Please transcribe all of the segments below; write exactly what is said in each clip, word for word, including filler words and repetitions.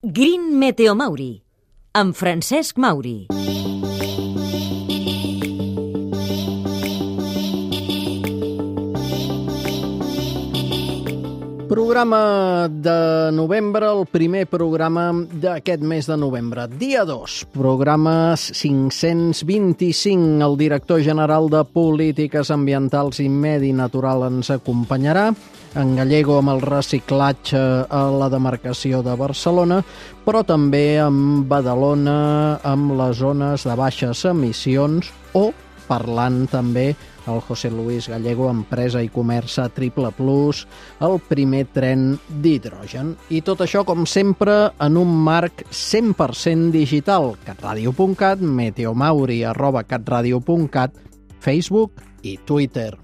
Green Meteo Mauri, amb Francesc Mauri. Programa de novembre, el primer programa d'aquest mes de novembre. Dia dos, programa cinc-cents vint-i-cinc. El director general de Polítiques Ambientals i Medi Natural ens acompanyarà, en gallego amb el reciclatge a la demarcació de Barcelona, però també amb Badalona, amb les zones de baixes emissions, o parlant també el José Luis Gallego, Empresa i Comerç a Triple Plus, el primer tren d'hidrogen. I tot això, com sempre, en un marc cent per cent digital. catradio punt cat, meteomauri arroba catradio punt cat, Facebook i Twitter.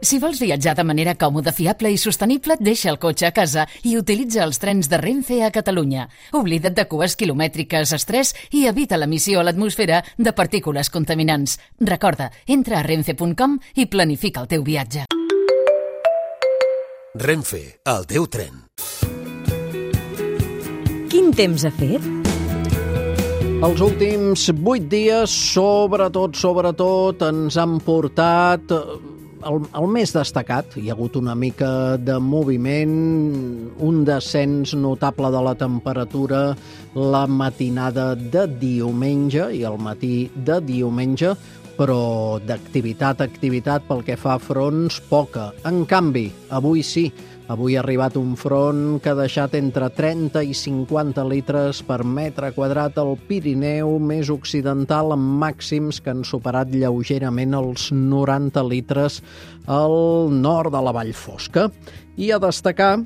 Si vols viatjar de manera còmoda, fiable i sostenible, deixa el cotxe a casa i utilitza els trens de Renfe a Catalunya. Oblida't de cues quilomètriques, estrès i evita l'emissió a l'atmosfera de partícules contaminants. Recorda, entra a renfe punt com i planifica el teu viatge. Renfe, el teu tren. Quin temps ha fet? Els últims vuit dies, sobretot, sobretot, ens han portat... El, el més destacat, hi ha hagut una mica de moviment, un descens notable de la temperatura la matinada de diumenge i el matí de diumenge, però d'activitat a activitat pel que fa a fronts, poca. En canvi, avui sí, avui ha arribat un front que ha deixat entre trenta i cinquanta litres per metre quadrat al Pirineu més occidental, amb màxims que han superat lleugerament els noranta litres al nord de la Vall Fosca. I a destacar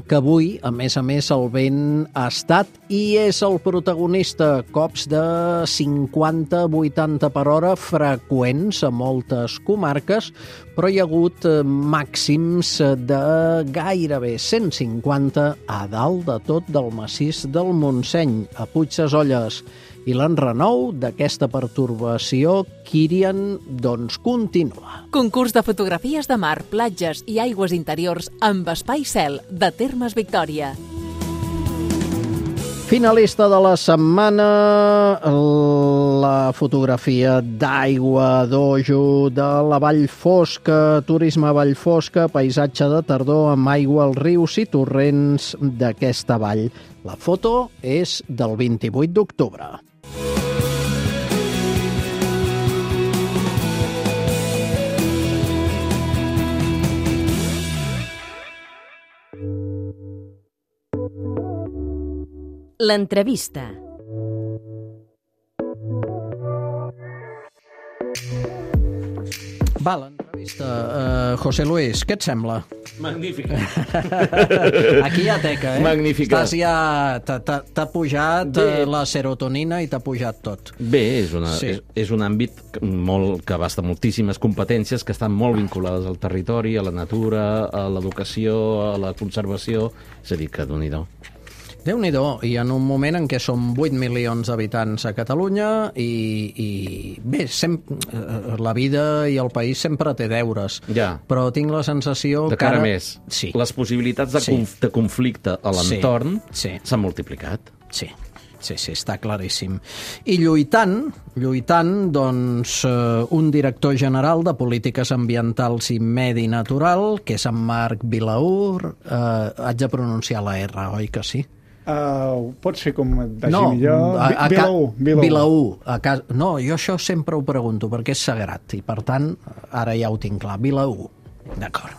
que avui, a més a més, el vent ha estat i és el protagonista. Cops de cinquanta a vuitanta per hora freqüents a moltes comarques, però hi ha hagut màxims de gairebé cent cinquanta a dalt de tot del massís del Montseny, a Puigsesolles. I l'enrenou d'aquesta pertorbació, Kírian, doncs continua. Concurs de fotografies de mar, platges i aigües interiors amb espai cel de Termes Victòria. Finalista de la setmana, la fotografia d'aigua d'Ojo de la Vall Fosca, turisme Vall Fosca, paisatge de tardor amb aigua als rius i torrents d'aquesta vall. La foto és del vint-i-vuit d'octubre. L'entrevista. Va, l'entrevista. Uh, José Luis, què et sembla? Magnífica. Aquí hi ha teca, eh? Magnífica. Estàs ja... T'ha pujat Bé. la serotonina i t'ha pujat tot. Bé, és, una, Sí. és, és un àmbit molt, que abasta moltíssimes competències que estan molt vinculades al territori, a la natura, a l'educació, a la conservació. És a dir, que Déu-n'hi-do. Déu-n'hi-do, i en un moment en què som vuit milions d'habitants a Catalunya i, i bé, sem, la vida i el país sempre té deures, Ja. però tinc la sensació De que cara ara... més, Sí. les possibilitats de, Sí. conf, de conflicte a l'entorn Sí. s'han multiplicat. Sí, sí, sí, està claríssim. I lluitant, lluitant, doncs, eh, un director general de Polítiques Ambientals i Medi Natural, que és en Marc Vilaur, eh, haig de pronunciar la R, oi que sí? Uh, pot ser com et vagi No, millor. a, a, Vilaú. Vilaú. Vilaú. A cas... No, jo això sempre ho pregunto, perquè és sagrat, i per tant, ara ja ho tinc clar. Vilaú. D'acord.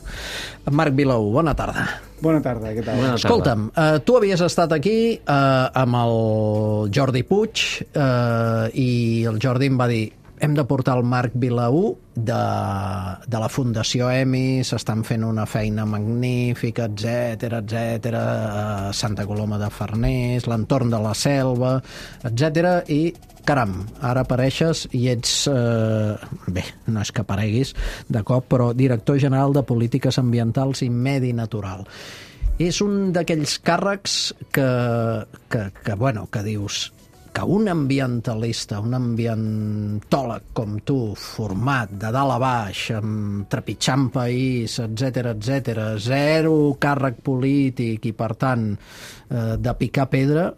Marc Vilaú, bona tarda. Bona tarda, què tal? Bona tarda. Escolta'm, eh, tu havies estat aquí eh, amb el Jordi Puig eh, i el Jordi em va dir hem de portar el Marc Vilaú de, de la Fundació E M I, s'estan fent una feina magnífica, etcètera, etcètera, a Santa Coloma de Farners, l'entorn de la selva, etcètera, i caram, ara apareixes i ets, eh, bé, no és que apareguis de cop, però director general de Polítiques Ambientals i Medi Natural. És un d'aquells càrrecs que, que, que, bueno, que dius que un ambientalista, un ambientòleg com tu, format de dalt a baix, amb trepitjant país, etcètera, etcètera, zero càrrec polític i, per tant, eh, de picar pedra,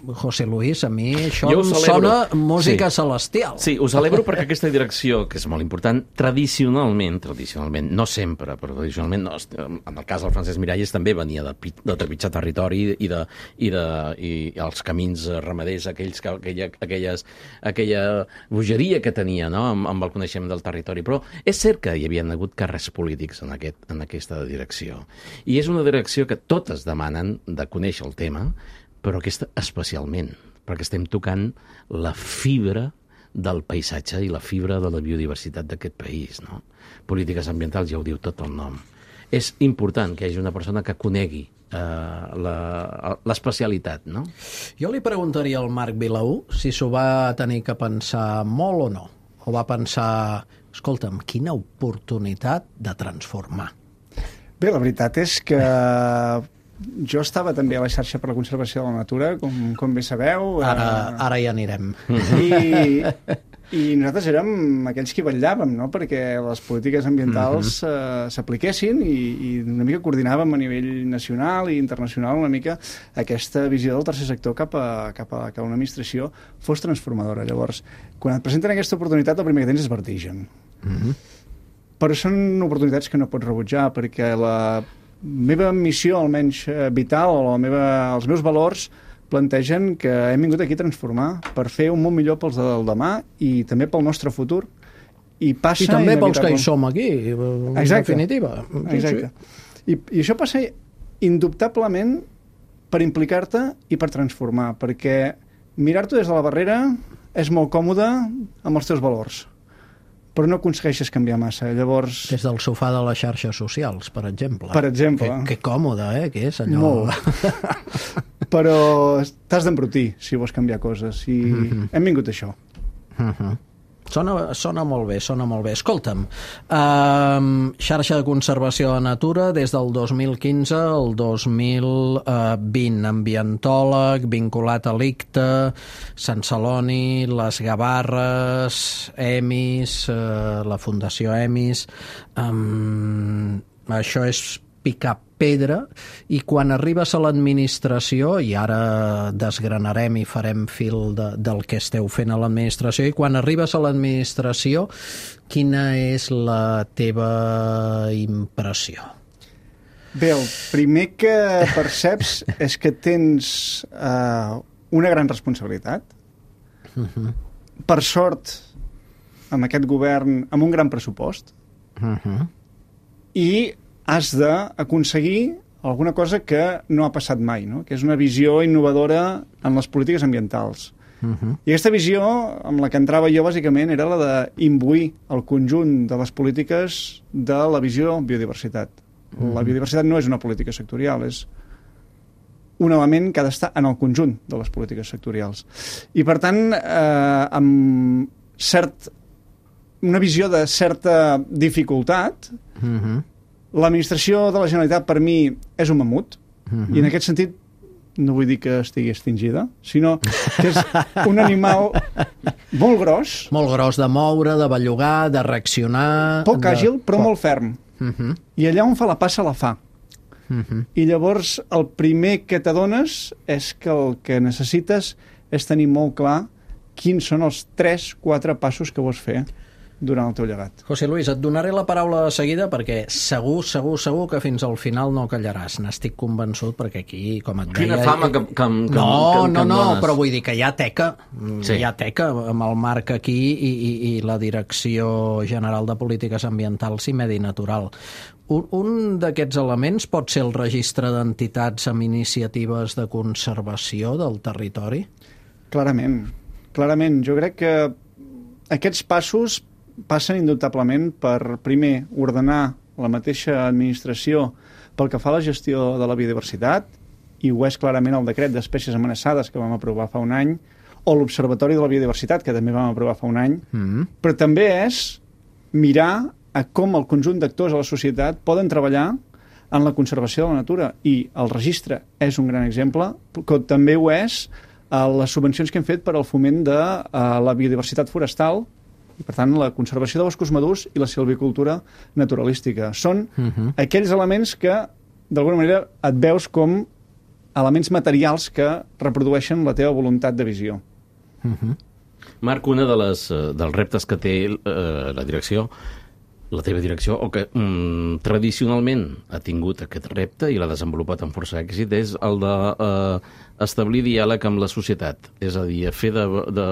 José Luis, a mi això em sona música sí. celestial. Sí, ho celebro perquè aquesta direcció, que és molt important, tradicionalment, tradicionalment, no sempre, però tradicionalment, no, en el cas del Francesc Miralles també venia de, de trepitjar territori i, de, i, de, i els camins ramaders, aquells, aquella, aquelles, aquella bogeria que tenia, no?, amb, amb el coneixement del territori. Però és cert que hi havia hagut càrrecs polítics en, aquest, en aquesta direcció. I és una direcció que totes demanen de conèixer el tema, però aquesta especialment, perquè estem tocant la fibra del paisatge i la fibra de la biodiversitat d'aquest país, no? Polítiques ambientals, ja ho diu tot el nom. És important que hi hagi una persona que conegui eh, l'especialitat, no? Jo li preguntaria al Marc Vilaú si s'ho va tenir que pensar molt o no, o va pensar, escolta'm, quina oportunitat de transformar. Bé, la veritat és que jo estava també a la xarxa per la conservació de la natura, com, com bé sabeu. Ara, ara hi anirem. I, I nosaltres érem aquells que vetllàvem, no?, perquè les polítiques ambientals uh-huh. eh, s'apliquessin i, i una mica coordinàvem a nivell nacional i internacional una mica aquesta visió del tercer sector cap a, cap a que una administració fos transformadora. Llavors, quan et presenten aquesta oportunitat, el primer que tens és vertigen. Uh-huh. Però són oportunitats que no pots rebutjar, perquè la meva missió, almenys vital, o la meva, els meus valors plantegen que hem vingut aquí a transformar per fer un món millor pels del demà i també pel nostre futur. I passa... I també pels que hi som aquí, en Exacte. definitiva. Exacte. I, I això passa indubtablement per implicar-te i per transformar, perquè mirar-t'ho des de la barrera és molt còmode amb els teus valors, però no aconsegueixes canviar massa. Llavors... Des del sofà de les xarxes socials, per exemple. Per exemple. Que, que còmode, eh, que és allò... Molt. Però t'has d'embrutir si vols canviar coses. I mm-hmm. hem vingut a això. Mm-hmm. Sona, sona molt bé, sona molt bé. Escolta'm, um, xarxa de conservació de natura des del dos mil quinze al dos mil vint, ambientòleg, vinculat a l'I C T A, Sant Celoni, les Gavarres, EMIS, uh, la Fundació EMIS. Um, això és picar pedra, i quan arribes a l'administració, i ara desgranarem i farem fil de, del que esteu fent a l'administració, i quan arribes a l'administració, quina és la teva impressió? Bé, el primer que perceps és que tens uh, una gran responsabilitat. Uh-huh. Per sort, amb aquest govern, amb un gran pressupost, uh-huh. i has d'aconseguir alguna cosa que no ha passat mai, no?, que és una visió innovadora en les polítiques ambientals. Uh-huh. I aquesta visió, amb la que entrava jo, bàsicament, era la d'imbuir el conjunt de les polítiques de la visió biodiversitat. Uh-huh. La biodiversitat no és una política sectorial, és un element que ha d'estar en el conjunt de les polítiques sectorials. I, per tant, eh, amb cert, una visió de certa dificultat, uh-huh. l'administració de la Generalitat, per mi, és un mamut, uh-huh. i en aquest sentit no vull dir que estigui extingida, sinó que és un animal molt gros. Molt gros de moure, de bellugar, de reaccionar... Poc de... àgil, però molt ferm. Uh-huh. I allà on fa la passa, la fa. Uh-huh. I llavors el primer que t'adones és que el que necessites és tenir molt clar quins són els tres, quatre passos que vols fer durant el teu llegat. José Luis, et donaré la paraula de seguida perquè segur, segur, segur que fins al final no callaràs. N'estic convençut perquè aquí, com et deia... Quina fama que, que, que, no, que, que no, em no, dones. però vull dir que hi ha teca, sí. hi ha teca amb el Marc aquí i, i, i la Direcció General de Polítiques Ambientals i Medi Natural. Un, un d'aquests elements pot ser el registre d'entitats amb iniciatives de conservació del territori? Clarament, clarament. Jo crec que aquests passos passen indubtablement per, primer, ordenar la mateixa administració pel que fa a la gestió de la biodiversitat, i ho és clarament el decret d'espècies amenaçades que vam aprovar fa un any, o l'Observatori de la Biodiversitat, que també vam aprovar fa un any, mm-hmm. però també és mirar a com el conjunt d'actors a la societat poden treballar en la conservació de la natura, i el registre és un gran exemple, que també ho és a les subvencions que hem fet per al foment de uh, la biodiversitat forestal i, per tant, la conservació de boscos madurs i la silvicultura naturalística. Són uh-huh. aquells elements que, d'alguna manera, et veus com elements materials que reprodueixen la teva voluntat de visió. Uh-huh. Marc, una de les, dels reptes que té eh, la direcció, la teva direcció, o que mm, tradicionalment ha tingut aquest repte i l'ha desenvolupat amb força èxit, és el de eh, establir diàleg amb la societat, és a dir, fer, de, de,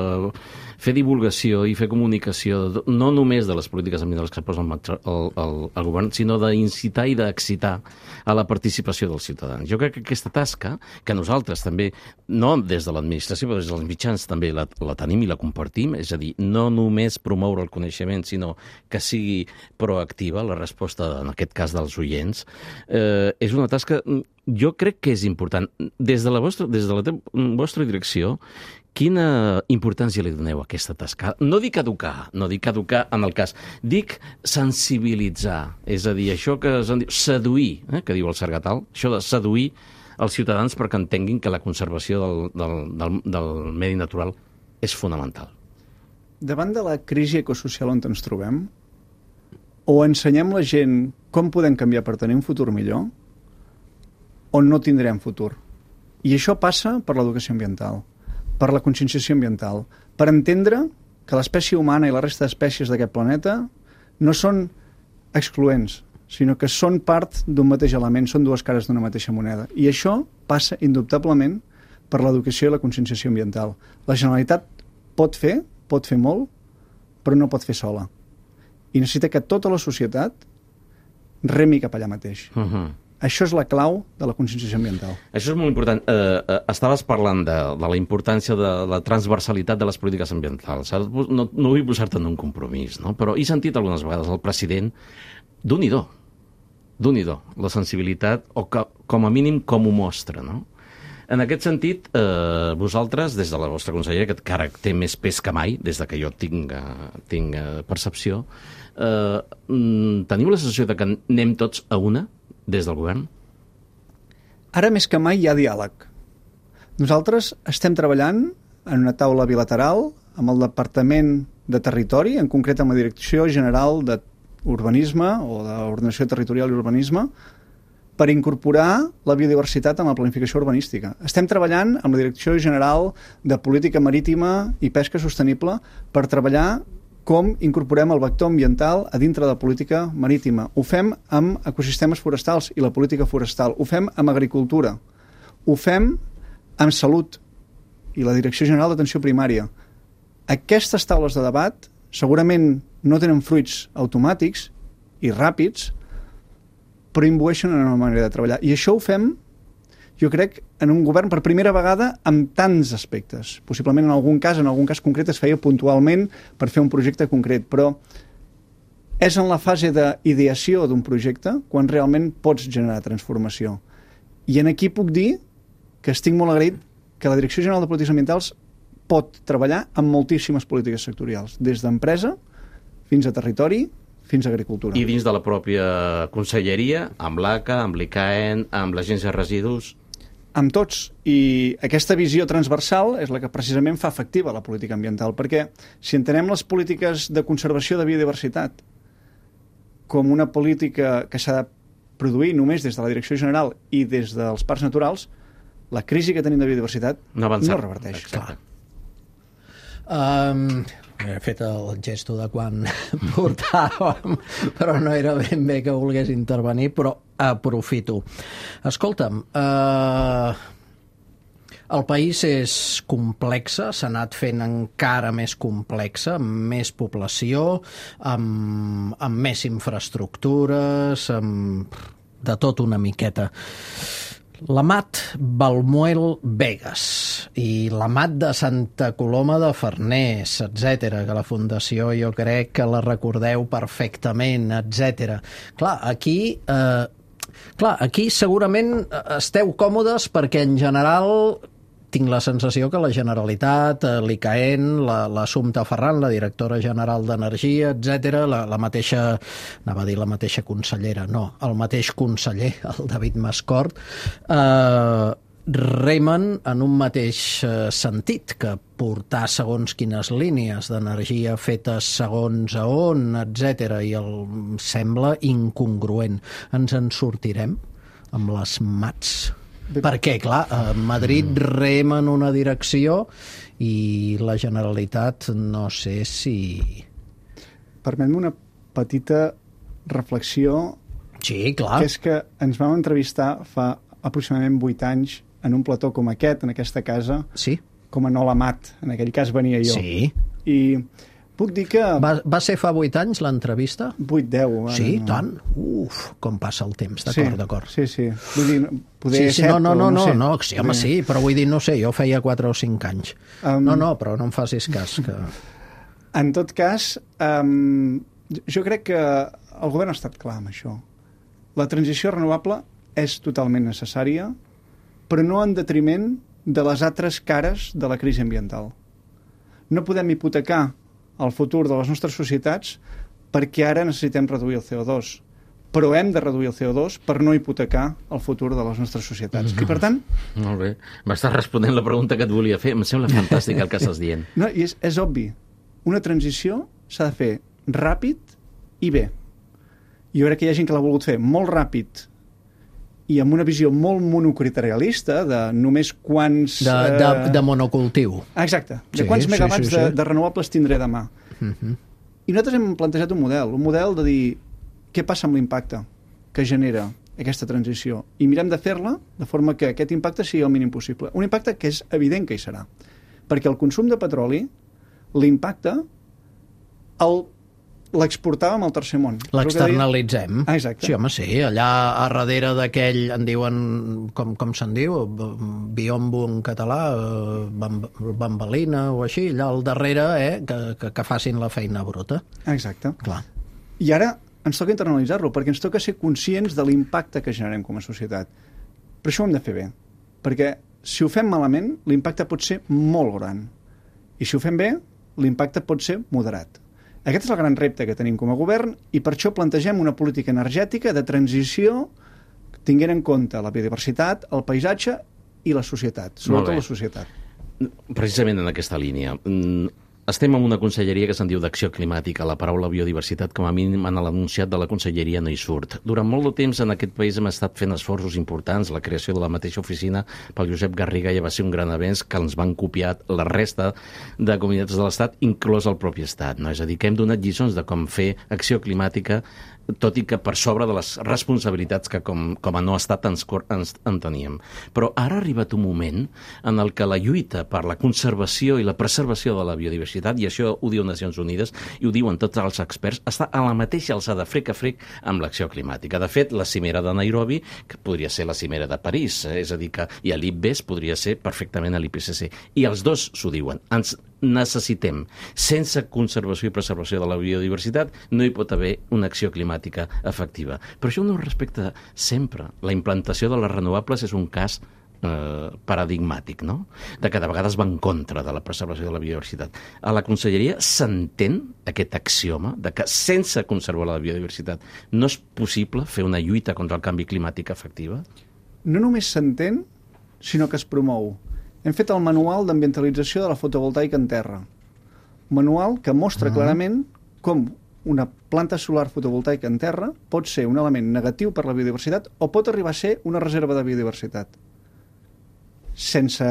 fer divulgació i fer comunicació, no només de les polítiques ambientals que posa el, el, el, el govern, sinó d'incitar i d'excitar a la participació dels ciutadans. Jo crec que aquesta tasca, que nosaltres també, no des de l'administració, però des dels mitjans també la, la tenim i la compartim, és a dir, no només promoure el coneixement, sinó que sigui proactiva la resposta, en aquest cas dels oients, eh, és una tasca, jo crec que és important. Des de la vostra, des de la vostra direcció, quina importància li doneu a aquesta tasca? No dic educar, no dic educar en el cas, dic sensibilitzar, és a dir, això que es diu seduir, eh, que diu el Sargatal, això de seduir els ciutadans perquè entenguin que la conservació del, del, del, del medi natural és fonamental. Davant de la crisi ecosocial on ens trobem, o ensenyem la gent com podem canviar per tenir un futur millor, o no tindrem futur. I això passa per l'educació ambiental, per la conscienciació ambiental, per entendre que l'espècie humana i la resta d'espècies d'aquest planeta no són excloents, sinó que són part d'un mateix element, són dues cares d'una mateixa moneda. I això passa indubtablement per l'educació i la conscienciació ambiental. La Generalitat pot fer, pot fer molt, però no pot fer sola. I necessita que tota la societat remi cap allà mateix. Uh-huh. Això és la clau de la conscienciació ambiental. Això és molt important. Eh, eh, estaves parlant de, de la importància de la transversalitat de les polítiques ambientals. No, no vull posar-te en un compromís, no? Però he sentit algunes vegades el president d'un-i-do, d'un-i-do, la sensibilitat, o que, com a mínim com ho mostra, no? En aquest sentit, eh, vosaltres, des de la vostra conselleria, que encara té més pes que mai, des de que jo tinc, tinc percepció, eh, teniu la sensació de que anem tots a una des del govern? Ara més que mai hi ha diàleg. Nosaltres estem treballant en una taula bilateral amb el Departament de Territori, en concret amb la Direcció General d'Urbanisme o d'Ordenació Territorial i Urbanisme, per incorporar la biodiversitat en la planificació urbanística. Estem treballant amb la Direcció General de Política Marítima i Pesca Sostenible per treballar com incorporem el vector ambiental a dintre de la política marítima. Ho fem amb ecosistemes forestals i la política forestal. Ho fem amb agricultura. Ho fem amb salut i la Direcció General d'Atenció Primària. Aquestes taules de debat segurament no tenen fruits automàtics i ràpids, però imbueixen en una manera de treballar. I això ho fem, jo crec, en un govern per primera vegada amb tants aspectes. Possiblement en algun cas, en algun cas concret, es feia puntualment per fer un projecte concret, però és en la fase d'ideació d'un projecte quan realment pots generar transformació. I en aquí puc dir que estic molt agraït que la Direcció General de Polítiques Ambientals pot treballar amb moltíssimes polítiques sectorials, des d'empresa fins a territori, fins a agricultura. I dins de la pròpia conselleria, amb l'A C A, amb l'I C A E N, amb l'Agència de Residus? Amb tots. I aquesta visió transversal és la que precisament fa efectiva la política ambiental, perquè si entenem les polítiques de conservació de biodiversitat com una política que s'ha de produir només des de la Direcció General i des dels parcs naturals, la crisi que tenim de biodiversitat no, no reverteix. Exacte. Um, he fet el gesto de quan portàvem, però no era ben bé que volgués intervenir, però aprofito. Escolta'm, uh, el país és complexa, s'ha anat fent encara més complexa, amb més població, amb, amb més infraestructures, amb de tot una miqueta. L'Amat Balmuel Begues i l'Amat de Santa Coloma de Farners, etcètera, que la Fundació jo crec que la recordeu perfectament, etcètera. Clar, aquí, eh, clar, aquí segurament esteu còmodes perquè en general tinc la sensació que la Generalitat, l'I C A E N, l'Assumpta Ferran, la directora general d'Energia, etcètera, la, la mateixa, anava a dir la mateixa consellera, no, el mateix conseller, el David Mascort, eh, remen en un mateix eh, sentit, que portar segons quines línies d'energia fetes segons a on, etcètera, i el sembla incongruent. Ens en sortirem amb les mats? Perquè, clar, a Madrid rema en una direcció i la Generalitat no sé si... Permet-me una petita reflexió. Sí, clar. Que és que ens vam entrevistar fa aproximadament vuit anys en un plató com aquest, en aquesta casa, sí, com a Nola Mat. En aquell cas venia jo. Sí. I puc dir que... Va, va ser fa vuit anys l'entrevista? Vuit, deu. Sí, no. tant. Uf, com passa el temps, d'acord, sí, d'acord. Sí, sí. Vull dir, poder sí, sí, set, no, no, no, no, no, sé. no, sí, home, sí, però vull dir, no sé, jo feia quatre o cinc anys. Um, no, no, però no em facis cas. Que... En tot cas, um, jo crec que el govern ha estat clar amb això. La transició renovable és totalment necessària, però no en detriment de les altres cares de la crisi ambiental. No podem hipotecar el futur de les nostres societats perquè ara necessitem reduir el C O dos, però hem de reduir el C O dos per no hipotecar el futur de les nostres societats. Mm-hmm. I per tant... Molt bé. M'estàs responent la pregunta que et volia fer. Em sembla fantàstic el que estàs dient. No, i és, és obvi. Una transició s'ha de fer ràpid i bé. Jo crec que hi ha gent que l'ha volgut fer molt ràpid i amb una visió molt monocriterialista de només quants... De, de, de monocultiu. Exacte. De sí, quants megawatts sí, sí, sí. De, de renovables tindré demà. Uh-huh. I nosaltres hem plantejat un model, un model de dir què passa amb l'impacte que genera aquesta transició i mirem de fer-la de forma que aquest impacte sigui el mínim possible. Un impacte que és evident que hi serà. Perquè el consum de petroli, l'impacte, el l'exportàvem al tercer món. L'externalitzem. Ah, exacte. Sí, home, sí. Allà a darrere d'aquell, en diuen, com, com se'n diu, biombo en català, bamb, bambalina o així, allà al darrere, eh, que, que, que facin la feina bruta. Exacte. Clar. I ara ens toca internalitzar-lo, perquè ens toca ser conscients de l'impacte que generem com a societat. Però això ho hem de fer bé, perquè si ho fem malament, l'impacte pot ser molt gran. I si ho fem bé, l'impacte pot ser moderat. Aquest és el gran repte que tenim com a govern i per això plantegem una política energètica de transició tinguent en compte la biodiversitat, el paisatge i la societat, sobretot la societat. Precisament en aquesta línia. Estem en una conselleria que se'n diu d'Acció Climàtica. La paraula biodiversitat, com a mínim, en l'anunciat de la conselleria no hi surt. Durant molt de temps en aquest país hem estat fent esforços importants. La creació de la mateixa oficina pel Josep Garriga ja va ser un gran avenç que ens van copiar la resta de comunitats de l'Estat, inclòs el propi Estat. No? És a dir, que hem donat lliçons de com fer acció climàtica, tot i que per sobre de les responsabilitats que com, com a no estat ens, ens en teníem. Però ara ha arribat un moment en el que la lluita per la conservació i la preservació de la biodiversitat, i això ho diu Nacions Unides i ho diuen tots els experts, està a la mateixa alçada frec a frec amb l'acció climàtica. De fet, la cimera de Nairobi, que podria ser la cimera de París, eh? És a dir, que i a l'I P B E S podria ser perfectament a l'I P C C. I els dos s'ho diuen. Ens necessitem. Sense conservació i preservació de la biodiversitat no hi pot haver una acció climàtica efectiva. Però això no respecta sempre. La implantació de les renovables és un cas eh, paradigmàtic, no? De que de vegades va en contra de la preservació de la biodiversitat. A la conselleria s'entén aquest axioma de que sense conservar la biodiversitat no és possible fer una lluita contra el canvi climàtic efectiva? No només s'entén, sinó que es promou. Hem fet el manual d'ambientalització de la fotovoltaica en terra. Manual que mostra uh-huh. clarament com una planta solar fotovoltaica en terra pot ser un element negatiu per la biodiversitat o pot arribar a ser una reserva de biodiversitat. Sense,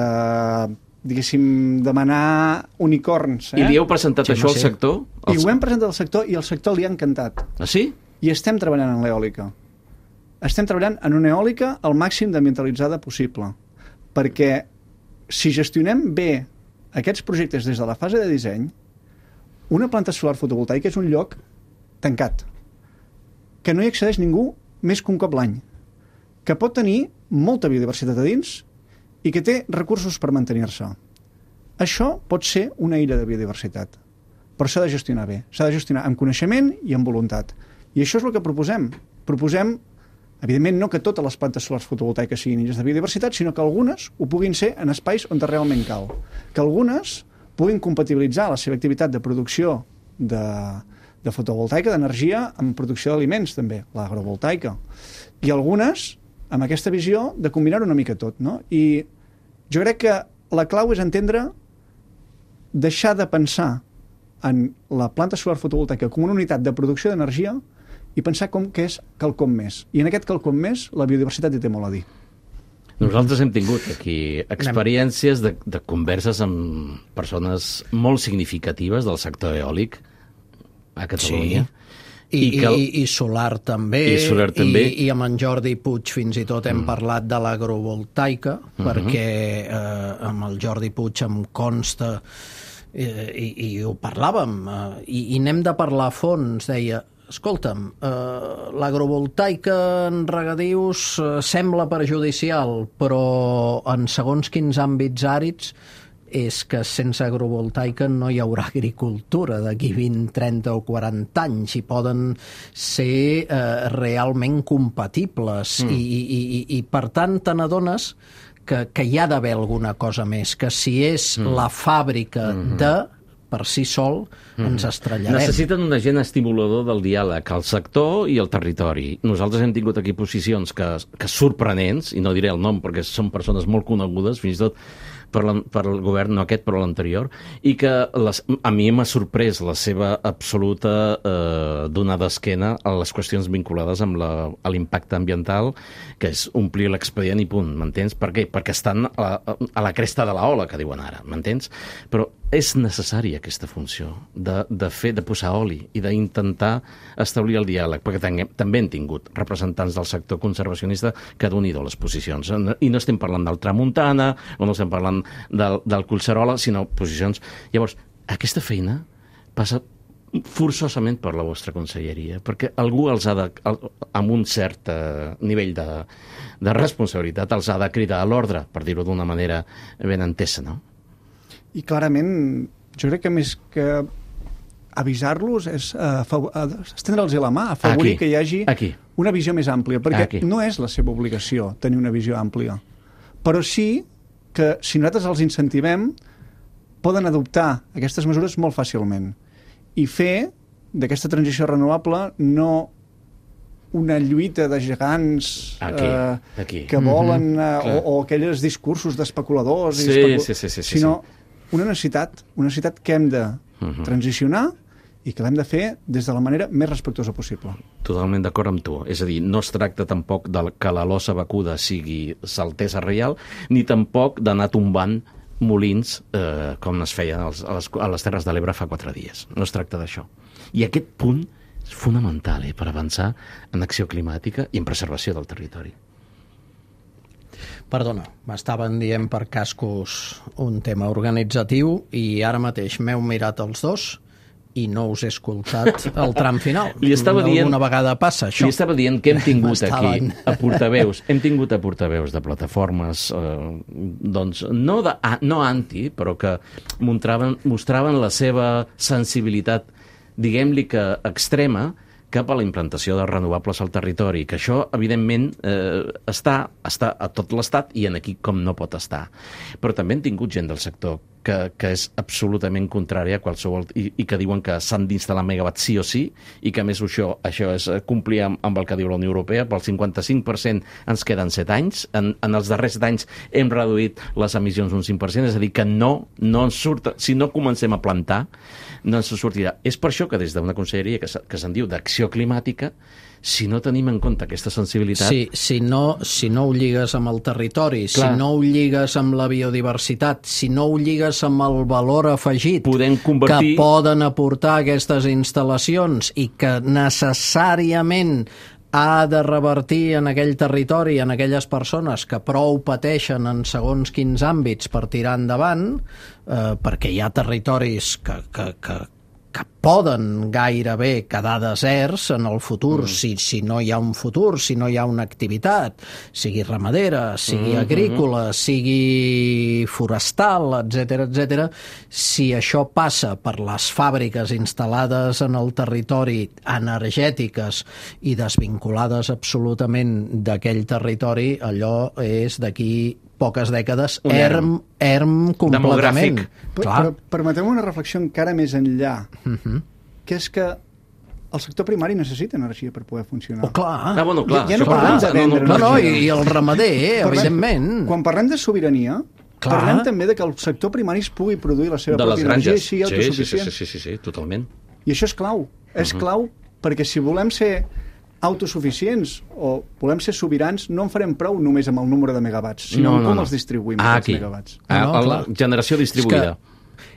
diguéssim, demanar unicorns. Eh? I li heu presentat sí, això al sector? I ho hem presentat al sector i al sector li ha encantat. Ah, sí? I estem treballant en l'eòlica. Estem treballant en una eòlica al màxim d'ambientalitzada possible. Perquè si gestionem bé aquests projectes des de la fase de disseny, una planta solar fotovoltaica és un lloc tancat, que no hi accedeix ningú més que un cop l'any, que pot tenir molta biodiversitat a dins i que té recursos per mantenir-se. Això pot ser una illa de biodiversitat, però s'ha de gestionar bé, s'ha de gestionar amb coneixement i amb voluntat. I això és el que proposem. Proposem evidentment, no que totes les plantes solars fotovoltaiques siguin illes de biodiversitat, sinó que algunes ho puguin ser en espais on realment cal. Que algunes puguin compatibilitzar la seva activitat de producció de, de fotovoltaica, d'energia, amb producció d'aliments, també, l'agrovoltaica. I algunes amb aquesta visió de combinar-ho una mica tot, no? I jo crec que la clau és entendre, deixar de pensar en la planta solar fotovoltaica com una unitat de producció d'energia i pensar com que és quelcom més. I en aquest quelcom més, la biodiversitat hi té molt a dir. Nosaltres hem tingut aquí experiències de, de converses amb persones molt significatives del sector eòlic a Catalunya. Sí. I, I, que el... i, i solar també, I, solar també. I, i amb en Jordi Puig fins i tot hem mm. parlat de l'agrovoltaica, mm-hmm. perquè eh, amb el Jordi Puig em consta, eh, i, i ho parlàvem, eh, i, i n'hem de parlar a fons, deia, escolta'm, eh, l'agrovoltaica en regadius eh, sembla perjudicial, però en segons quins àmbits àrids és que sense agrovoltaica no hi haurà agricultura d'aquí vint, trenta o quaranta anys i poden ser eh, realment compatibles mm. i, i, i, i per tant te n'adones que, que hi ha d'haver alguna cosa més, que si és mm. la fàbrica mm-hmm. de per si sol mm. ens estrellarem. Necessiten un agent estimulador del diàleg al sector i al territori. Nosaltres hem tingut aquí posicions que, que sorprenents, i no diré el nom perquè són persones molt conegudes, fins i tot per, la, per el govern, no aquest, però l'anterior, i que les, a mi m'ha sorprès la seva absoluta eh, donada d'esquena a les qüestions vinculades amb la, a l'impacte ambiental, que és omplir l'expedient i punt, m'entens? Per què? Perquè estan a, a la cresta de la ola, que diuen ara, m'entens? Però és necessària aquesta funció de, de fer, de posar oli i d'intentar establir el diàleg, perquè tenguem, també hem tingut representants del sector conservacionista que doni les posicions. I no estem parlant del Tramuntana, o no estem parlant del, del Collserola, sinó posicions... Llavors, aquesta feina passa forçosament per la vostra conselleria, perquè algú els ha de, amb un cert nivell de, de responsabilitat, els ha de cridar a l'ordre, per dir-ho d'una manera ben entesa, no? I clarament, jo crec que més que avisar-los és uh, estendre'ls la mà, afavorir aquí, que hi hagi aquí. una visió més àmplia, perquè aquí. no és la seva obligació tenir una visió àmplia, però sí que si nosaltres els incentivem poden adoptar aquestes mesures molt fàcilment i fer d'aquesta transició renovable no una lluita de gegants aquí, eh, aquí. que volen mm-hmm. eh, o, o aquells discursos d'especuladors sí, i especul... sí, sí, sí, sí, sinó una necessitat, una necessitat que hem de mm-hmm. transicionar i que l'hem de fer des de la manera més respectuosa possible. Totalment d'acord amb tu. És a dir, no es tracta tampoc de que la losa vacuda sigui saltesa reial, ni tampoc d'anar tombant molins eh, com es feien a les, a les Terres de l'Ebre fa quatre dies. No es tracta d'això. I aquest punt és fonamental eh, per avançar en acció climàtica i en preservació del territori. Perdona, m'estaven dient per cascos un tema organitzatiu i ara mateix m'heu mirat els dos i no us he escoltat el tram final. Li estava dient, alguna vegada passa això. Li estava dient que hem tingut aquí a portaveus, hem tingut a portaveus de plataformes eh, doncs no, de, no anti, però que mostraven, mostraven la seva sensibilitat, diguem-li que extrema, cap a la implantació de renovables al territori, que això, evidentment, eh, està, està a tot l'Estat i en aquí com no pot estar. Però també hem tingut gent del sector que, que és absolutament contrària a qualsevol... I, i que diuen que s'han d'instal·lar megawatts sí o sí, i que a més això, això és complir amb, amb el que diu la Unió Europea, pel cinquanta-cinc per cent ens queden set anys, en, en els darrers set anys hem reduït les emissions un cinc per cent, és a dir, que no, no ens surt... Si no comencem a plantar, no ens sortirà. És per això que des d'una conselleria que, que se'n diu d'acció climàtica, si no tenim en compte aquesta sensibilitat... Sí, si no, si no ho lligues amb el territori, Clar. si no ho lligues amb la biodiversitat, si no ho lligues amb el valor afegit convertir... que poden aportar aquestes instal·lacions i que necessàriament ha de revertir en aquell territori, en aquelles persones que prou pateixen en segons quins àmbits per tirar endavant, eh, perquè hi ha territoris que, que, que, que poden gairebé quedar deserts en el futur, mm. si, si no hi ha un futur, si no hi ha una activitat, sigui ramadera, sigui mm-hmm. agrícola, sigui forestal, etcètera, etcètera. Si això passa per les fàbriques instal·lades en el territori, energètiques i desvinculades absolutament d'aquell territori, allò és d'aquí poques dècades, erm, erm completament. Demogràfic. Però, però permeteu una reflexió encara més enllà, uh-huh. que és que el sector primari necessita energia per poder funcionar. Oh, clar. Ah, bueno, clar. Ja no això- parlem de clar, vendre No, no, energia. i, i el ramader, eh, Parlem- evidentment. Quan parlem de sobirania, Clar. parlem també de que el sector primari es pugui produir la seva de les pròpia energia i granges. sigui Sí, sí, sí, autosuficient. sí, sí, sí, sí, totalment. I això és clau. És Mhm. clau perquè si volem ser autosuficients o volem ser sobirans, no en farem prou només amb el número de megawatts, sinó No, amb no, com no. els distribuïm, Ah, aquests aquí. megawatts. Ah, No, no, el- clar. generació distribuïda.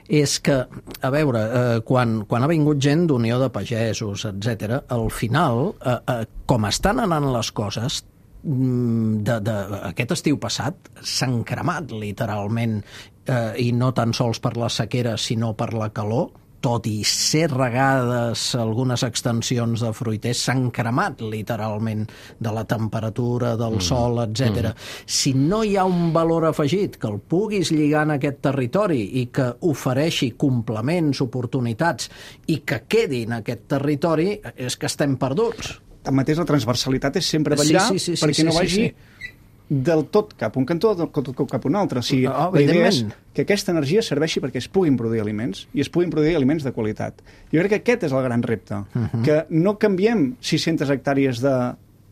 És que, a veure, eh, quan, quan ha vingut gent d'Unió de Pagesos, etcètera, al final, eh, eh, com estan anant les coses, mm, de, de, aquest estiu passat s'han cremat literalment, eh, i no tan sols per la sequera, sinó per la calor, tot i ser regades algunes extensions de fruiters, s'han cremat literalment de la temperatura, del mm. sol, etcètera. Mm. Si no hi ha un valor afegit que el puguis lligar en aquest territori i que ofereixi complements, oportunitats i que quedi en aquest territori, és que estem perduts. Tanmateix, la transversalitat és sempre Sí, vetllar sí, sí, sí, perquè sí, no sí, vagi sí. del tot cap a un cantó, del tot cap a un altre. O sigui, Ah, la idea és evidentment. que aquesta energia serveixi perquè es puguin produir aliments i es puguin produir aliments de qualitat. Jo crec que aquest és el gran repte, uh -huh. que no canviem sis-centes hectàrees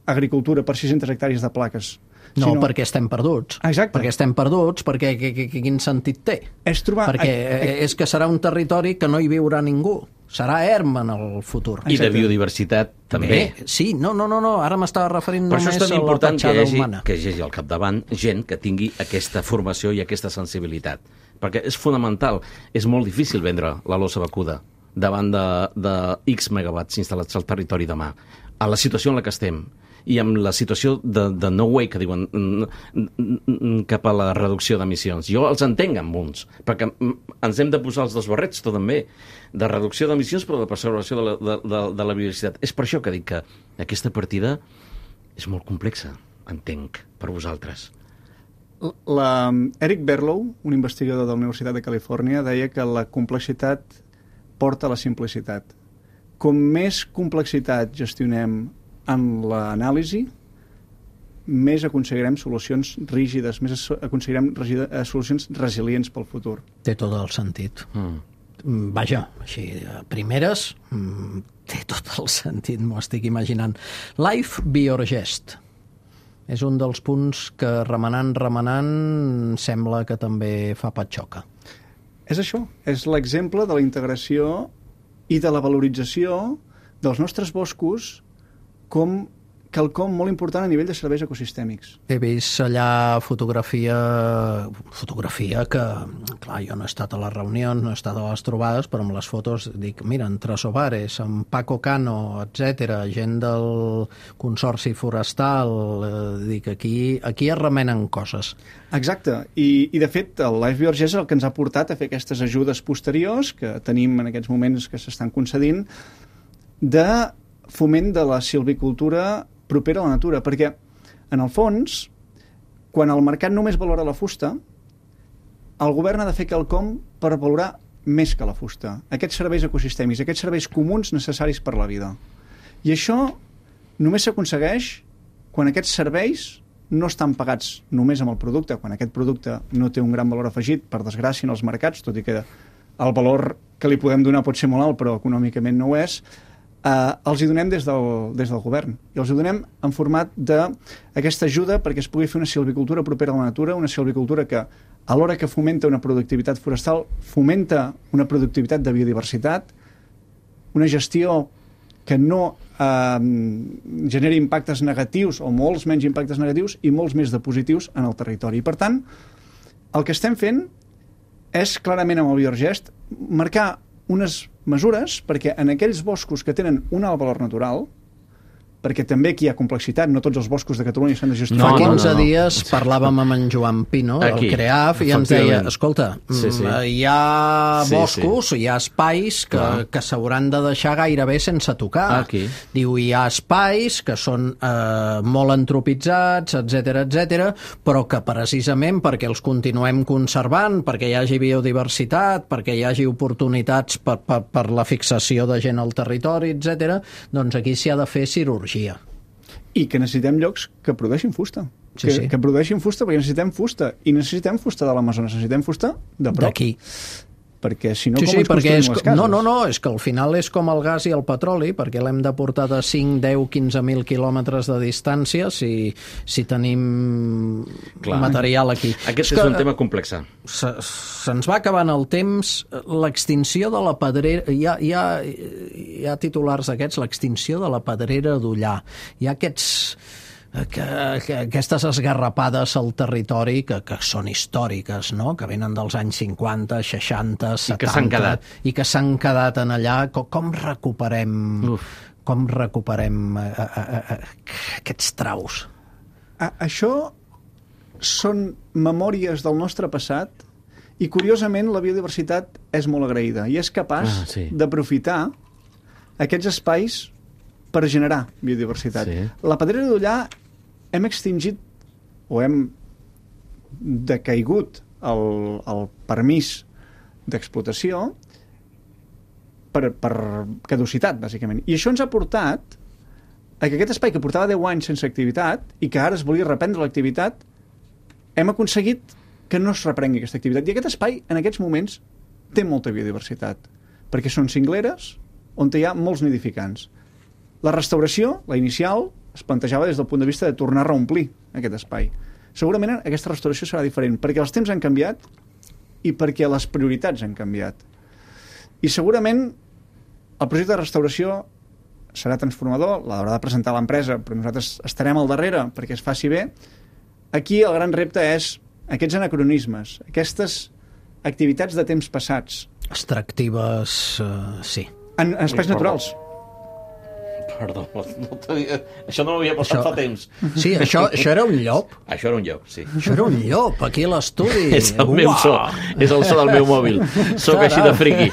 d'agricultura per sis-centes hectàrees de plaques. No, sinó perquè estem perduts. Exacte. Perquè estem perduts, perquè que, que, que, quin sentit té? És trobar... Perquè eh, és que serà un territori que no hi viurà ningú. Serà erm en el futur. I de Exacte. biodiversitat també. Bé, sí, no, no, no, no. ara m'estava referint Per això només és tan a la important que hi, petjada hagi, humana. que hi hagi al capdavant gent que tingui aquesta formació i aquesta sensibilitat. Perquè és fonamental. És molt difícil vendre la losa vacuda davant de, de X megawatts instal·lats al territori demà. A la situació en la que estem i amb la situació de, de no way que diuen mm, mm, mm, cap a la reducció d'emissions. Jo els entenc amb uns, perquè mm, ens hem de posar els dos barrets, tot també, de reducció d'emissions però de preservació de la, de, de, de la biodiversitat. És per això que dic que aquesta partida és molt complexa, entenc, per vosaltres. La, Eric Berlow, un investigador de la Universitat de Califòrnia, deia que la complexitat porta a la simplicitat. Com més complexitat gestionem en l'anàlisi, més aconseguirem solucions rígides, més aconseguirem regi- solucions resilients pel futur. Té tot el sentit. Mm. Vaja, així, a primeres, mm, té tot el sentit, m'ho estic imaginant. Life Biorgest. És un dels punts que remenant, remenant, sembla que també fa patxoca. És això, és l'exemple de la integració i de la valorització dels nostres boscos com quelcom molt important a nivell de serveis ecosistèmics. He vist allà fotografia, fotografia que, clar, jo no he estat a les reunions, no he estat a les trobades, però amb les fotos dic, mira, en Trasobares, en Paco Cano, etcètera, gent del Consorci Forestal, eh, dic, aquí, aquí es remenen coses. Exacte, I, i de fet el Life Biorgest és el que ens ha portat a fer aquestes ajudes posteriors que tenim en aquests moments que s'estan concedint de foment de la silvicultura propera a la natura, perquè en el fons, quan el mercat només valora la fusta, el govern ha de fer quelcom per valorar més que la fusta, aquests serveis ecosistèmics, aquests serveis comuns necessaris per la vida. I això només s'aconsegueix quan aquests serveis no estan pagats només amb el producte, quan aquest producte no té un gran valor afegit, per desgràcia, en els mercats, tot i que el valor que li podem donar pot ser molt alt, però econòmicament no ho és, eh, els hi donem des del, des del govern. I els hi donem en format d'aquesta ajuda perquè es pugui fer una silvicultura propera a la natura, una silvicultura que, alhora que fomenta una productivitat forestal, fomenta una productivitat de biodiversitat, una gestió que no eh, generi impactes negatius o molts menys impactes negatius i molts més de positius en el territori. I, per tant, el que estem fent és clarament amb el Biorgest marcar unes mesures perquè en aquells boscos que tenen un alt valor natural, perquè també aquí hi ha complexitat, no tots els boscos de Catalunya s'han de gestionar. Fa No, no, quinze no, no. dies parlàvem amb en Joan Pino, Aquí, el CREAF, i ens deia, efectivament. escolta, Sí, sí. mm, hi ha Sí, boscos, hi ha espais que, Clar. que s'hauran de deixar gairebé sense tocar. Aquí. Diu, hi ha espais que són eh, molt antropitzats, etcètera, etcètera, però que precisament perquè els continuem conservant, perquè hi hagi biodiversitat, perquè hi hagi oportunitats per, per, per la fixació de gent al territori, etcètera, doncs aquí s'hi ha de fer cirurgia. I que necessitem llocs que produeixin fusta. Sí, que, sí. que produeixin fusta perquè necessitem fusta. I necessitem fusta de l'Amazones, necessitem fusta de prop. D'aquí. perquè si no, Sí, com sí, ens perquè construïm és, les cases? no, no, no, és que al final és com el gas i el petroli, perquè l'hem de portar de cinc, deu, quinze mil quilòmetres de distància si, si tenim Clar. material aquí. Aquest és, que, és un tema complex. se, se'ns va acabant el temps, l'extinció de la pedrera, hi ha, hi ha, hi ha titulars d'aquests, l'extinció de la pedrera d'Ullà. Hi ha aquests, que, que, aquestes esgarrapades al territori que, que són històriques, no? Que venen dels anys cinquanta, seixanta, setanta... I que s'han quedat. I que s'han quedat en allà. Com, com recuperem... Uf. Com recuperem a, a, a, a, aquests traus? A, això són memòries del nostre passat i, curiosament, la biodiversitat és molt agraïda i és capaç Ah, sí. d'aprofitar aquests espais per generar biodiversitat. Sí. La pedrera d'Ullà hem extingit o hem decaigut el, el permís d'explotació per, per caducitat, bàsicament. I això ens ha portat a que aquest espai que portava deu anys sense activitat i que ara es volia reprendre l'activitat, hem aconseguit que no es reprengui aquesta activitat. I aquest espai, en aquests moments, té molta biodiversitat, perquè són cingleres on hi ha molts nidificants. La restauració, la inicial, es plantejava des del punt de vista de tornar a reomplir aquest espai. Segurament aquesta restauració serà diferent, perquè els temps han canviat i perquè les prioritats han canviat. I segurament el projecte de restauració serà transformador, l'haurà de presentar l'empresa, però nosaltres estarem al darrere perquè es faci bé. Aquí el gran repte és aquests anacronismes, aquestes activitats de temps passats. Extractives, uh, sí. En, en espais naturals. Perdó, no tenia... això no m'havia passat Això- fa temps. Sí, això, això era un llop. Això era un llop, sí. Això era un llop, aquí a l'estudi. És el meu so, és el so del meu mòbil. Soc així de friqui.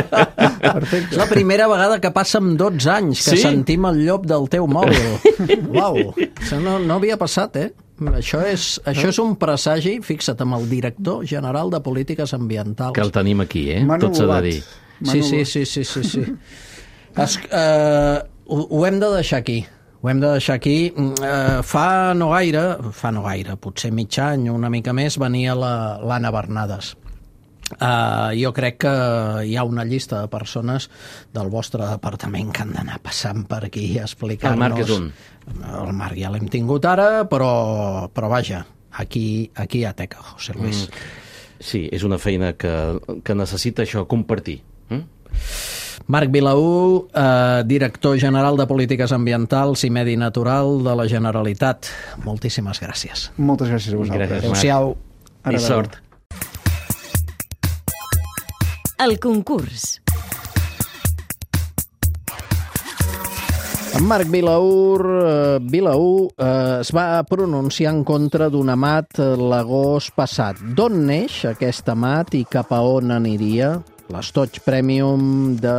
Perfecte. És la primera vegada que passa en dotze anys que Sí? sentim el llop del teu mòbil. Uau, això no, no havia passat, eh? Això és, això és un presagi, fixa't, amb el director general de Polítiques Ambientals. Que el tenim aquí, eh? M'han Tot s'ha de anulat. dir. Sí, sí, sí, sí, sí, sí. Es, eh, ho, ho hem de deixar aquí. Ho hem de deixar aquí. Eh, fa no gaire, fa no gaire, potser mig any, una mica més, venia la- l'Anna Bernades. Uh, jo crec que hi ha una llista de persones del vostre departament que han d'anar passant per aquí a explicar-nos... El Marc és un. El Marc ja l'hem tingut ara, però, però vaja, aquí, aquí hi ha teca, José Luis. Mm. Sí, és una feina que, que necessita això, compartir. Mm? Marc Vilaú, eh, director general de Polítiques Ambientals i Medi Natural de la Generalitat. Moltíssimes gràcies. Moltes gràcies a vosaltres. Gràcies. Adéu-siau. Ara I sort. El concurs. En Marc Vilaur, eh, Vilaú eh, es va pronunciar en contra d'un amat eh, l'agost passat. D'on neix aquest amat i cap a on aniria? L'estoig Premium de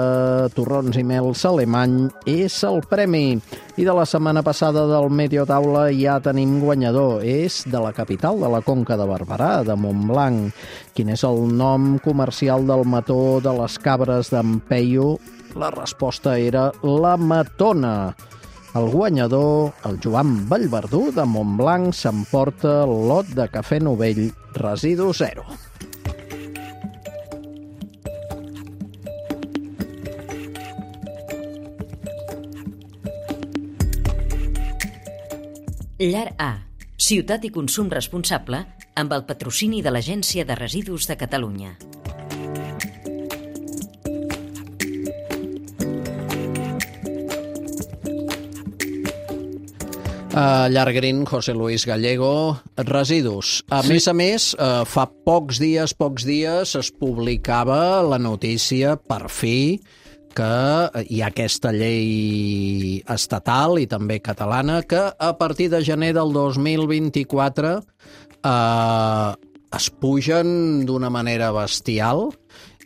Torrons i Mels Alemany és el premi. I de la setmana passada del Medio Taula ja tenim guanyador. És de la capital de la Conca de Barberà, de Montblanc. Quin és el nom comercial del mató de les cabres d'en Peyu? La resposta era la Matona. El guanyador, el Joan Vallverdú de Montblanc, s'emporta el lot de cafè novell Residu Zero. Llar A. Ciutat i consum responsable amb el patrocini de l'Agència de Residus de Catalunya. Uh, Llargrin, José Luis Gallego, residus. A sí. més a més, uh, fa pocs dies, pocs dies, es publicava la notícia, per fi, que hi ha aquesta llei estatal i també catalana que a partir de gener del dos mil vint-i-quatre eh, es pugen d'una manera bestial.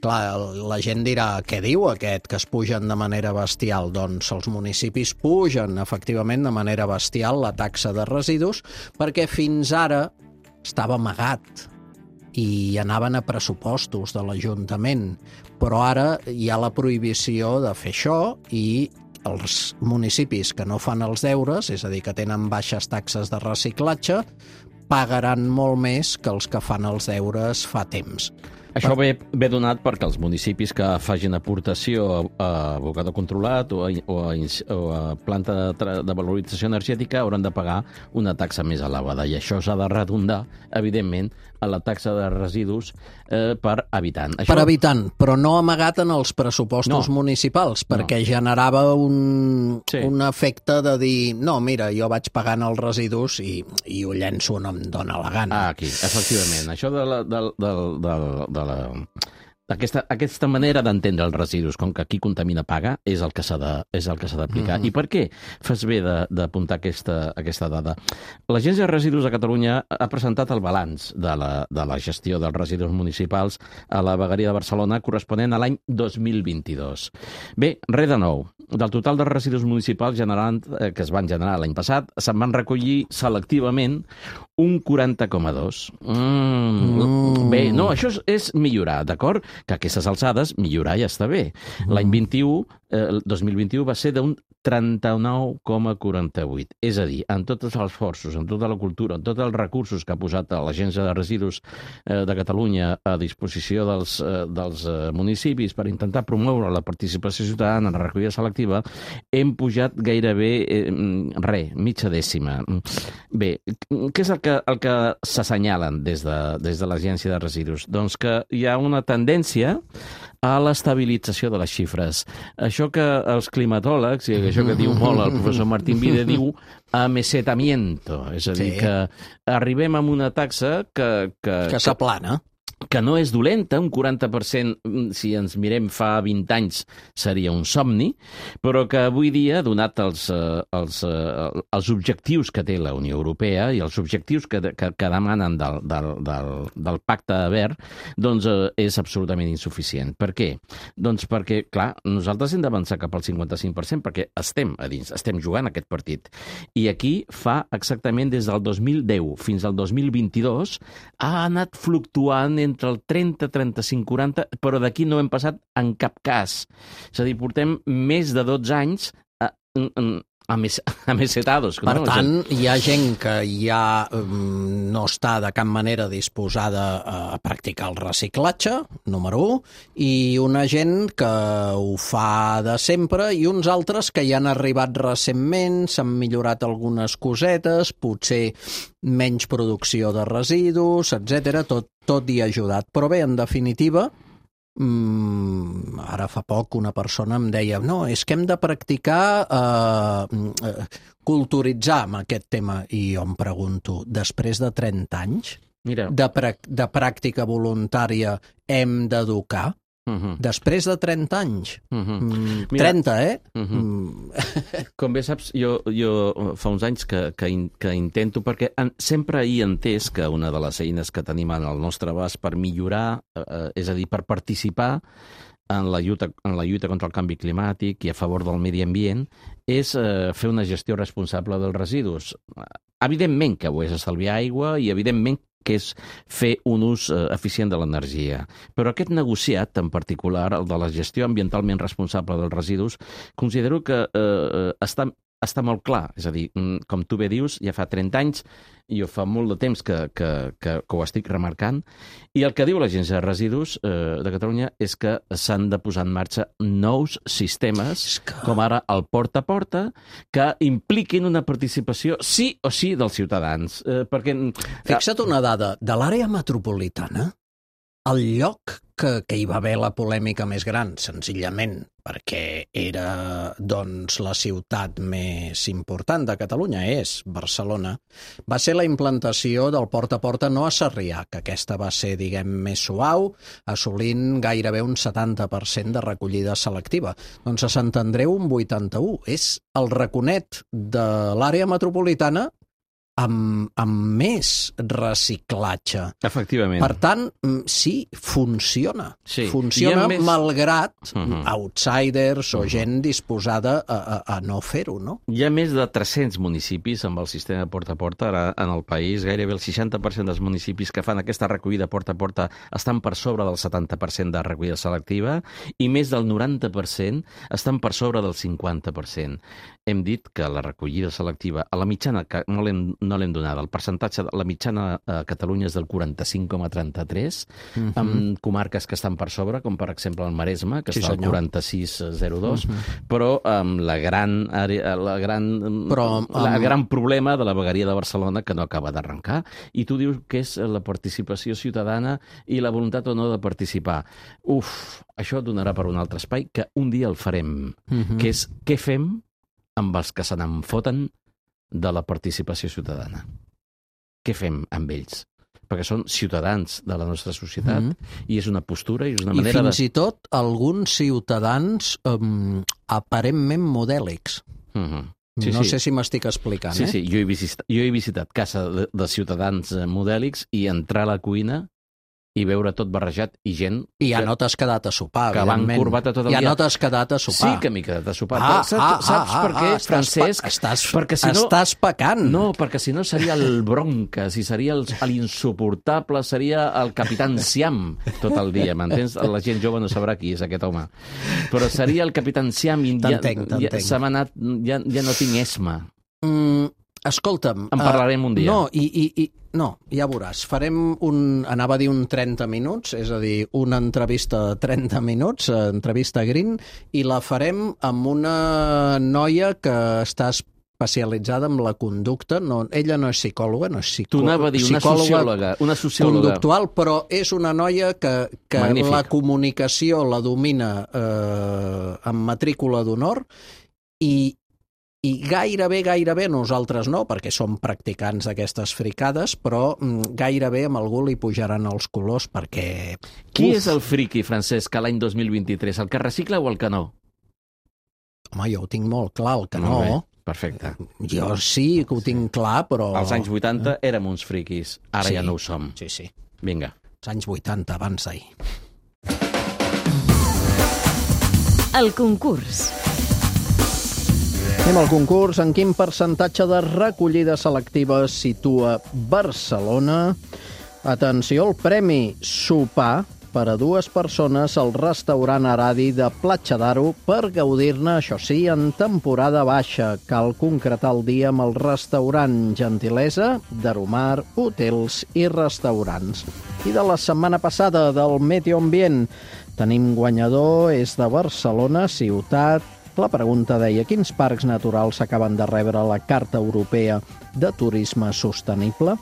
Clar, la gent dirà, què diu aquest, que es pugen de manera bestial? Doncs els municipis pugen, efectivament, de manera bestial la taxa de residus, perquè fins ara estava amagat i anaven a pressupostos de l'Ajuntament. Però ara hi ha la prohibició de fer això i els municipis que no fan els deures, és a dir, que tenen baixes taxes de reciclatge, pagaran molt més que els que fan els deures fa temps. Això ve, ve donat perquè els municipis que facin aportació a, a abocador controlat o a, o a, o a planta de, de valorització energètica hauran de pagar una taxa més elevada. I això s'ha de redundar, evidentment, a la taxa de residus eh, per habitant. Això... Per habitant, però no amagat en els pressupostos no. municipals, perquè no. generava un, sí. un efecte de dir, no, mira, jo vaig pagant els residus i, i ho llenço on em dóna la gana. Ah, aquí, efectivament. Això de la... De, de, de, de la... Aquesta, aquesta manera d'entendre els residus, com que aquí contamina paga, és el que s'ha de, és el que s'ha d'aplicar. Mm-hmm. I per què fas bé d'apuntar aquesta, aquesta dada? L'Agència de Residus de Catalunya ha presentat el balanç de la, de la gestió dels residus municipals a la vegueria de Barcelona corresponent a l'any dos mil vint-i-dos. Bé, res de nou. Del total de residus municipals generant, eh, que es van generar l'any passat, se'n van recollir selectivament un quaranta coma dos. Mm. Mm. Bé, no, això és, és millorar, d'acord? Que a aquestes alçades millorar ja està bé. L'any vint-i-u, eh, el dos mil vint-i-u va ser d'un trenta-nou coma quaranta-vuit. És a dir, en tots els esforços, en tota la cultura, en tots els recursos que ha posat l'Agència de Residus eh, de Catalunya a disposició dels, eh, dels eh, municipis per intentar promoure la participació ciutadana en la recollida selectiva, hem pujat gairebé eh, res, mitja dècima. Bé, què és el que, el que s'assenyalen des de, des de l'Agència de Residus? Doncs que hi ha una tendència a l'estabilització de les xifres. Això que els climatòlegs, i això que diu molt el professor Martín Vide, diu amesetamiento. És a dir, sí. que arribem a una taxa que... Que, que s'aplana. Que no és dolenta, un quaranta per cent, si ens mirem fa vint anys, seria un somni, però que avui dia, donat els, els, els objectius que té la Unió Europea i els objectius que, que, que demanen del, del, del, del Pacte Verd, doncs és absolutament insuficient. Per què? Doncs perquè, clar, nosaltres hem d'avançar cap al cinquanta-cinc per cent perquè estem a dins, estem jugant aquest partit. I aquí fa exactament des del dos mil deu fins al dos mil vint-i-dos ha anat fluctuant entre entre el trenta, trenta-cinc, quaranta, però d'aquí no hem passat en cap cas. És a dir, portem més de dotze anys a, a, a, mes, a mesetados. Per no? tant, hi ha gent que ja um, no està de cap manera disposada a practicar el reciclatge, número u, i una gent que ho fa de sempre i uns altres que hi han arribat recentment, s'han millorat algunes cosetes, potser menys producció de residus, etcètera, tot, tot hi ha ajudat. Però bé, en definitiva, mmm, ara fa poc una persona em deia no, és que hem de practicar, eh, eh, culturitzar amb aquest tema. I jo em pregunto, després de trenta anys Mira. De, pra de pràctica voluntària hem d'educar? Uh-huh. Després de trenta anys. Uh-huh. mm, trenta, eh? Uh-huh. mm. Com bé saps, jo, jo fa uns anys que, que, in, que intento, perquè en, sempre he entès que una de les eines que tenim al nostre abast per millorar, eh, és a dir, per participar en la, lluita, en la lluita contra el canvi climàtic i a favor del medi ambient, és eh, fer una gestió responsable dels residus. Evidentment que ho és estalviar aigua i evidentment que és fer un ús eh, eficient de l'energia. Però aquest negociat, en particular, el de la gestió ambientalment responsable dels residus, considero que eh, està, està molt clar. És a dir, com tu bé dius, ja fa trenta anys, jo fa molt de temps que, que, que, que ho estic remarcant, i el que diu l'Agència de Residus eh, de Catalunya és que s'han de posar en marxa nous sistemes, que... com ara el porta a porta, que impliquin una participació sí o sí dels ciutadans. Eh, perquè... Fixa't una dada, de l'àrea metropolitana, el lloc que, que hi va haver la polèmica més gran, senzillament perquè era doncs, la ciutat més important de Catalunya, és Barcelona, va ser la implantació del porta a porta no a Sarrià, que aquesta va ser, diguem, més suau, assolint gairebé un setanta per cent de recollida selectiva. Doncs a Sant Andreu un vuitanta-u. És el raconet de l'àrea metropolitana amb, amb més reciclatge. Efectivament. Per tant, sí, funciona. Sí. Funciona més... malgrat uh-huh. outsiders o uh-huh. gent disposada a, a, a no fer-ho, no? Hi ha més de tres-cents municipis amb el sistema porta a porta ara en el país. Gairebé el seixanta per cent dels municipis que fan aquesta recollida porta a porta estan per sobre del setanta per cent de recollida selectiva i més del noranta per cent estan per sobre del cinquanta per cent. Hem dit que la recollida selectiva, a la mitjana, que no l'hem no no l'hem donada. El percentatge, la mitjana a Catalunya és del quaranta-cinc coma trenta-tres, Mhm. amb comarques que estan per sobre, com per exemple el Maresme, que Sí, està al senyor. quaranta-sis coma zero dos, Mhm. però amb la gran, àrea- la gran, Però, la amb- gran problema de la vegueria de Barcelona que no acaba d'arrencar. I tu dius que és la participació ciutadana i la voluntat o no de participar. Uf, això donarà per un altre espai que un dia el farem, Mhm. que és què fem amb els que se n'en foten de la participació ciutadana. Què fem amb ells? Perquè són ciutadans de la nostra societat Mhm. i és una postura i és una I manera fins de... i tot alguns ciutadans um, aparentment modèlics. Mhm. Sí, no sí. sé si m'estic explicant, Sí, eh? sí, jo he visitat, jo he visitat casa de, de ciutadans eh, modèlics i entrar a la cuina i veure tot barrejat i gent I ja que, no t'has quedat a sopar, que van evidentment. corbata tot el ja dia. no t'has quedat a sopar. Sí que m'he quedat a sopar. Ah, Però saps, ah, saps ah, per què, ah, estàs Francesc? pa- estàs, perquè si no, estàs pecant. No, perquè si no seria el Broncas i seria el- l'insuportable, seria el Capitán Siam tot el dia, m'entens? La gent jove no sabrà qui és aquest home. Però seria el Capitán Siam i ja, T'entenc, ja, t'entenc. se m'ha anat, ja, ja no tinc esma. Mm, escolta'm... En parlarem un dia. No, i, i, i, no, ja veuràs. Farem un... Anava a dir un trenta minuts, és a dir, una entrevista de trenta minuts, eh, entrevista Green, i la farem amb una noia que està especialitzada en la conducta. No, ella no és psicòloga, no és Tu psicòloga. anava a dir una sociòloga, una sociòloga. Conductual, però és una noia que, que Magnífic. la comunicació la domina eh, amb matrícula d'honor i I gairebé, gairebé, nosaltres no, perquè som practicants d'aquestes fricades, però mm, gairebé amb algú li pujaran els colors perquè... Qui Uf, és el friqui, Francesc, a l'any dos mil vint-i-tres? El que recicla o el que no? Home, jo ho tinc molt clar, el que Molt bé, no. perfecte. Jo sí que ho tinc clar, però... Als anys vuitanta érem uns friquis, ara Sí. ja no ho som. Sí, sí. Vinga. Els anys vuitanta, abans d'ahir. El concurs. Anem al concurs. En quin percentatge de recollida selectiva situa Barcelona? Atenció, el premi sopar per a dues persones al restaurant Aradi de Platja d'Aro per gaudir-ne, això sí, en temporada baixa. Cal concretar el dia amb el restaurant Gentilesa, d'Aromar, hotels i restaurants. I de la setmana passada, del Meteo Ambient, tenim guanyador, és de Barcelona, ciutat. La pregunta deia, quins parcs naturals acaben de rebre la Carta Europea de Turisme Sostenible?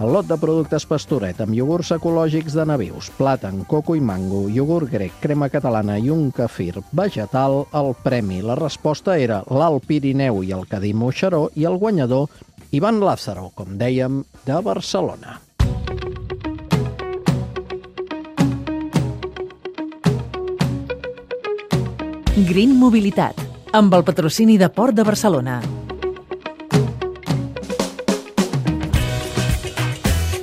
El lot de productes Pastoret amb iogurts ecològics de nabius, plàtan, coco i mango, iogurt grec, crema catalana i un kefir vegetal, el premi. La resposta era l'Alt Pirineu i el Cadí Moixeró i el guanyador Ivan Lázaro, com dèiem, de Barcelona. Green Mobilitat, amb el patrocini de Port de Barcelona.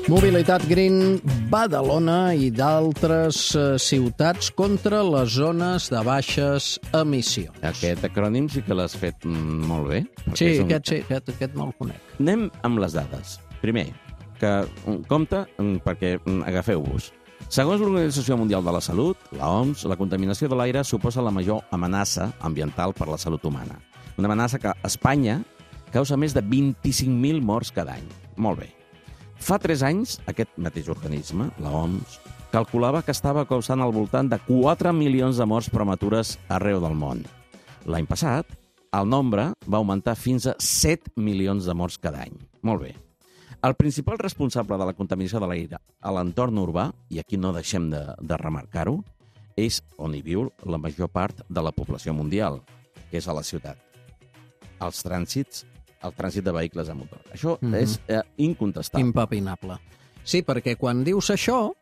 Mobilitat Green, Badalona i d'altres eh, ciutats contra les zones de baixes emissions. Aquest acrònim sí que l'has fet mm, molt bé. perquè Sí, és un- aquest sí, aquest, aquest no el conec. Anem amb les dades. Primer, que mm, compte mm, perquè mm, agafeu-vos. Segons l'Organització Mundial de la Salut, la O M S, la contaminació de l'aire suposa la major amenaça ambiental per la salut humana. Una amenaça que a Espanya causa més de vint-i-cinc mil morts cada any. Molt bé. Fa tres anys, aquest mateix organisme, la O M S, calculava que estava causant al voltant de quatre milions de morts prematures arreu del món. L'any passat, el nombre va augmentar fins a set milions de morts cada any. Molt bé. El principal responsable de la contaminació de l'aire a l'entorn urbà, i aquí no deixem de, de remarcar-ho, és on hi viu la major part de la població mundial, que és a la ciutat. Els trànsits, el trànsit de vehicles a motor. Això Mhm. és eh, incontestable. Impepinable. Sí, perquè quan dius això,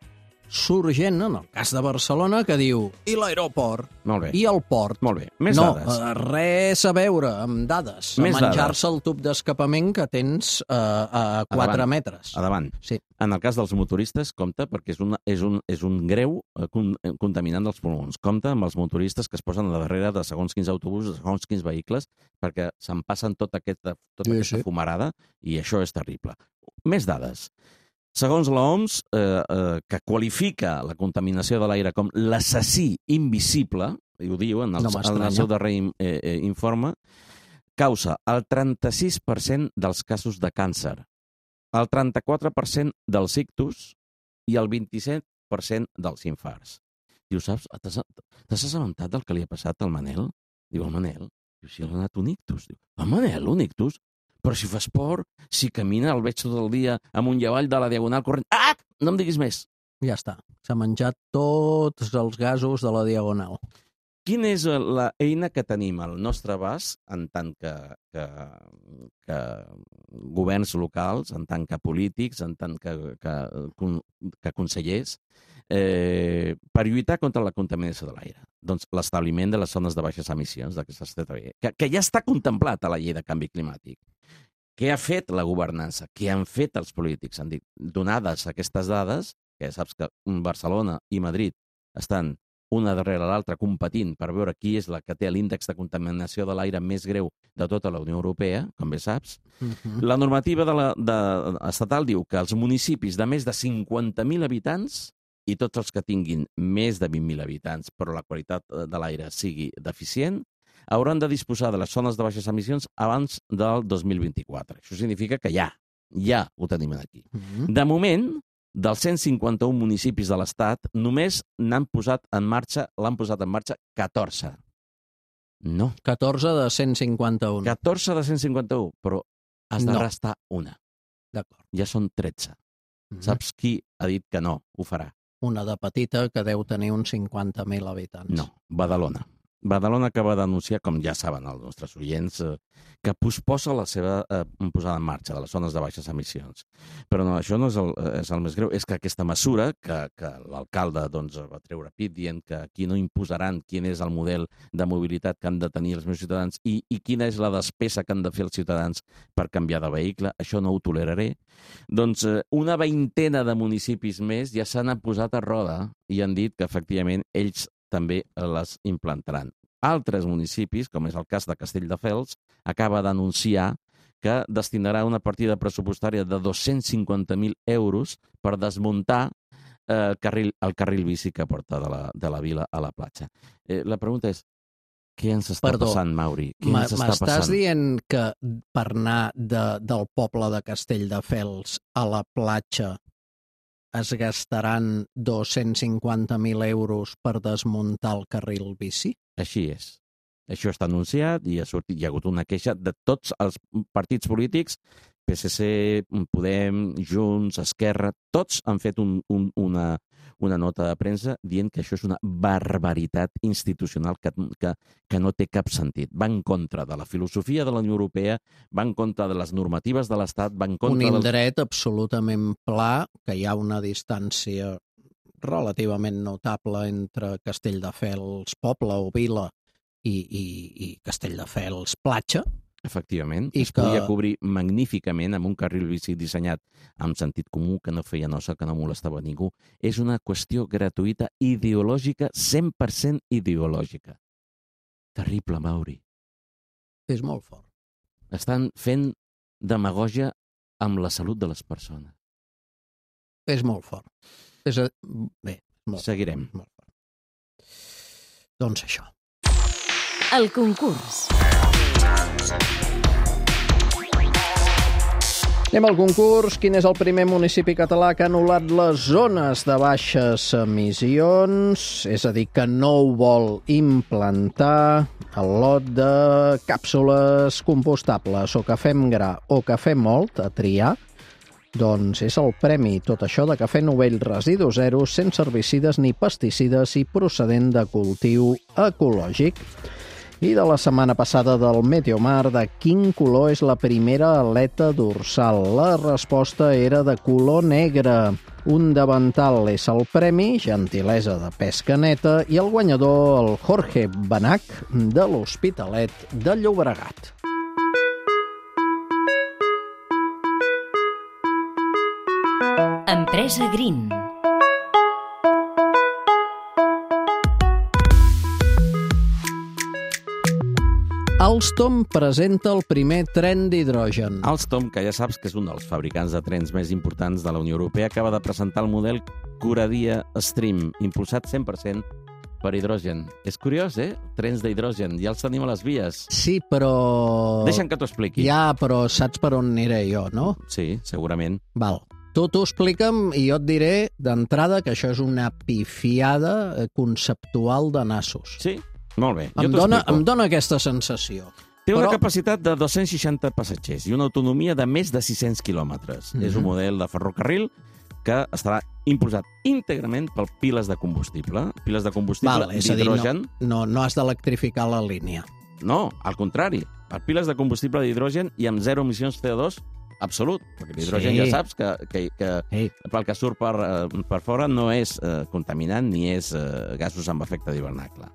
surt gent, en el cas de Barcelona, que diu i l'aeroport, Molt bé. i el port. Molt bé. Més no, dades. eh, res a veure amb dades. Més a menjar-se el tub d'escapament que tens eh, a quatre Endavant. metres. Endavant. Sí. En el cas dels motoristes, compte, perquè és, una, és, un, és un greu eh, con, eh, contaminant dels pulmons. Compte amb els motoristes que es posen a darrere de segons quins autobusos, de segons quins vehicles, perquè se'n passen tota aquesta, tota Sí, aquesta sí. fumarada i això és terrible. Més dades. Segons l'O M S, eh, eh, que qualifica la contaminació de l'aire com l'assassí invisible, i ho diu en el, No en m'estranya. el seu darrer eh, eh, informe, causa el trenta-sis per cent dels casos de càncer, el trenta-quatre per cent dels ictus i el vint-i-set per cent dels infarts. Diu, saps, t'has assabentat del que li ha passat al Manel? Diu, el Manel? Diu, si ha anat un ictus. Diu, el Manel, un ictus? Però si fa esport, si camina, el veig tot el dia amunt i avall de la Diagonal corrent. Ah! No em diguis més. Ja està. S'ha menjat tots els gasos de la Diagonal. Quina és la eina que tenim al nostre abast en tant que, que, que governs locals, en tant que polítics, en tant que, que, que consellers, eh, per lluitar contra la contaminació de l'aire? Doncs l'establiment de les zones de baixes emissions, d'aquestes T T B, que, que ja està contemplat a la llei de canvi climàtic. Què ha fet la governança? Què han fet els polítics? Han dit, donades aquestes dades, que saps que Barcelona i Madrid estan una darrere l'altra competint per veure qui és la que té l'índex de contaminació de l'aire més greu de tota la Unió Europea, com bé saps. Uh-huh. La normativa de la, de, estatal diu que els municipis de més de cinquanta mil habitants i tots els que tinguin més de vint mil habitants però la qualitat de l'aire sigui deficient, hauran de disposar de les zones de baixes emissions abans del dos mil vint-i-quatre. Això significa que ja, ja ho tenim aquí. Uh-huh. De moment, dels cent cinquanta-un municipis de l'Estat, només n'han posat en marxa, l'han posat en marxa catorze. No. catorze de cent cinquanta-un. catorze de cent cinquanta-un, però has de no. restar una. D'acord. Ja són tretze. Mm-hmm. Saps qui ha dit que no ho farà? Una de petita que deu tenir uns cinquanta mil habitants. No, Badalona. Badalona acaba d'anunciar, com ja saben els nostres oients, eh, que posposa la seva eh, posada en marxa de les zones de baixes emissions. Però no, això no és el, és el més greu, és que aquesta mesura que, que l'alcalde doncs, va treure pit dient que aquí no imposaran quin és el model de mobilitat que han de tenir els meus ciutadans i, i quina és la despesa que han de fer els ciutadans per canviar de vehicle, això no ho toleraré. Doncs eh, una veintena de municipis més ja s'han posat a roda i han dit que efectivament ells també les implantaran. Altres municipis, com és el cas de Castelldefels, acaba d'anunciar que destinarà una partida pressupostària de dos-cents cinquanta mil euros per desmuntar eh, el, carril, el carril bici que porta de la, de la vila a la platja. Eh, la pregunta és, què ens està Perdó, passant, Mauri? Què ens està m'estàs passant? dient que per anar de, del poble de Castelldefels a la platja es gastaran dos-cents cinquanta mil euros per desmuntar el carril bici? Així és. Això està anunciat i ha, sortit, hi ha hagut una queixa de tots els partits polítics, P S C, Podem, Junts, Esquerra, tots han fet un, un, una, una nota de premsa dient que això és una barbaritat institucional que, que, que no té cap sentit. Va en contra de la filosofia de la Unió Europea, va en contra de les normatives de l'Estat, va en contra... Un indret del... absolutament pla, que hi ha una distància relativament notable entre Castelldefels, poble o vila, i, i, i Castelldefels, platja. Efectivament, I es que... podia cobrir magníficament amb un carril bici dissenyat amb sentit comú, que no feia nosa, que no molestava ningú. És una qüestió gratuïta, ideològica, cent per cent ideològica. Terrible, Mauri. És molt fort. Estan fent demagògia amb la salut de les persones. És molt fort. És a... Bé, molt Seguirem. Molt fort. Doncs això. El concurs. Anem al concurs. Quin és el primer municipi català que ha anul·lat les zones de baixes emissions? És a dir, que no ho vol implantar el lot de càpsules compostables o cafè amb gra o cafè molt a triar. Doncs és el premi, tot això, de cafè Novell Residu Zero, sense herbicides ni pesticides i procedent de cultiu ecològic. I de la setmana passada del Meteomar, de quin color és la primera aleta dorsal? La resposta era de color negre. Un davantal és el premi, gentilesa de pesca neta, i el guanyador, el Jorge Benach, de l'Hospitalet de Llobregat. Empresa Green. Alstom presenta el primer tren d'hidrogen. Alstom, que ja saps que és un dels fabricants de trens més importants de la Unió Europea, acaba de presentar el model Coradia Stream, impulsat cent per cent per hidrogen. És curiós, eh? Trens d'hidrogen, ja els tenim a les vies. Sí, però... Deixa'm que t'ho expliqui. Ja, però saps per on aniré jo, no? Sí, segurament. Val. Tu t'ho explica'm i jo et diré d'entrada que això és una pifiada conceptual de nassos. Sí, molt bé. Em jo dona, t'ho em explico. dona aquesta sensació. Té una Però- capacitat de dos-cents seixanta passatgers i una autonomia de més de sis-cents quilòmetres. Mhm. És un model de ferrocarril que estarà impulsat íntegrament per piles de combustible. Piles de combustible Val, és a dir, d'hidrogen. no, no, no has d'electrificar la línia. No, al contrari. Per piles de combustible d'hidrogen i amb zero emissions C O dos absolut. Perquè l'hidrogen Sí. ja saps que, que, que Ei, pel que surt per, eh, per fora no és eh, contaminant ni és eh, gasos amb efecte d'hivernacle.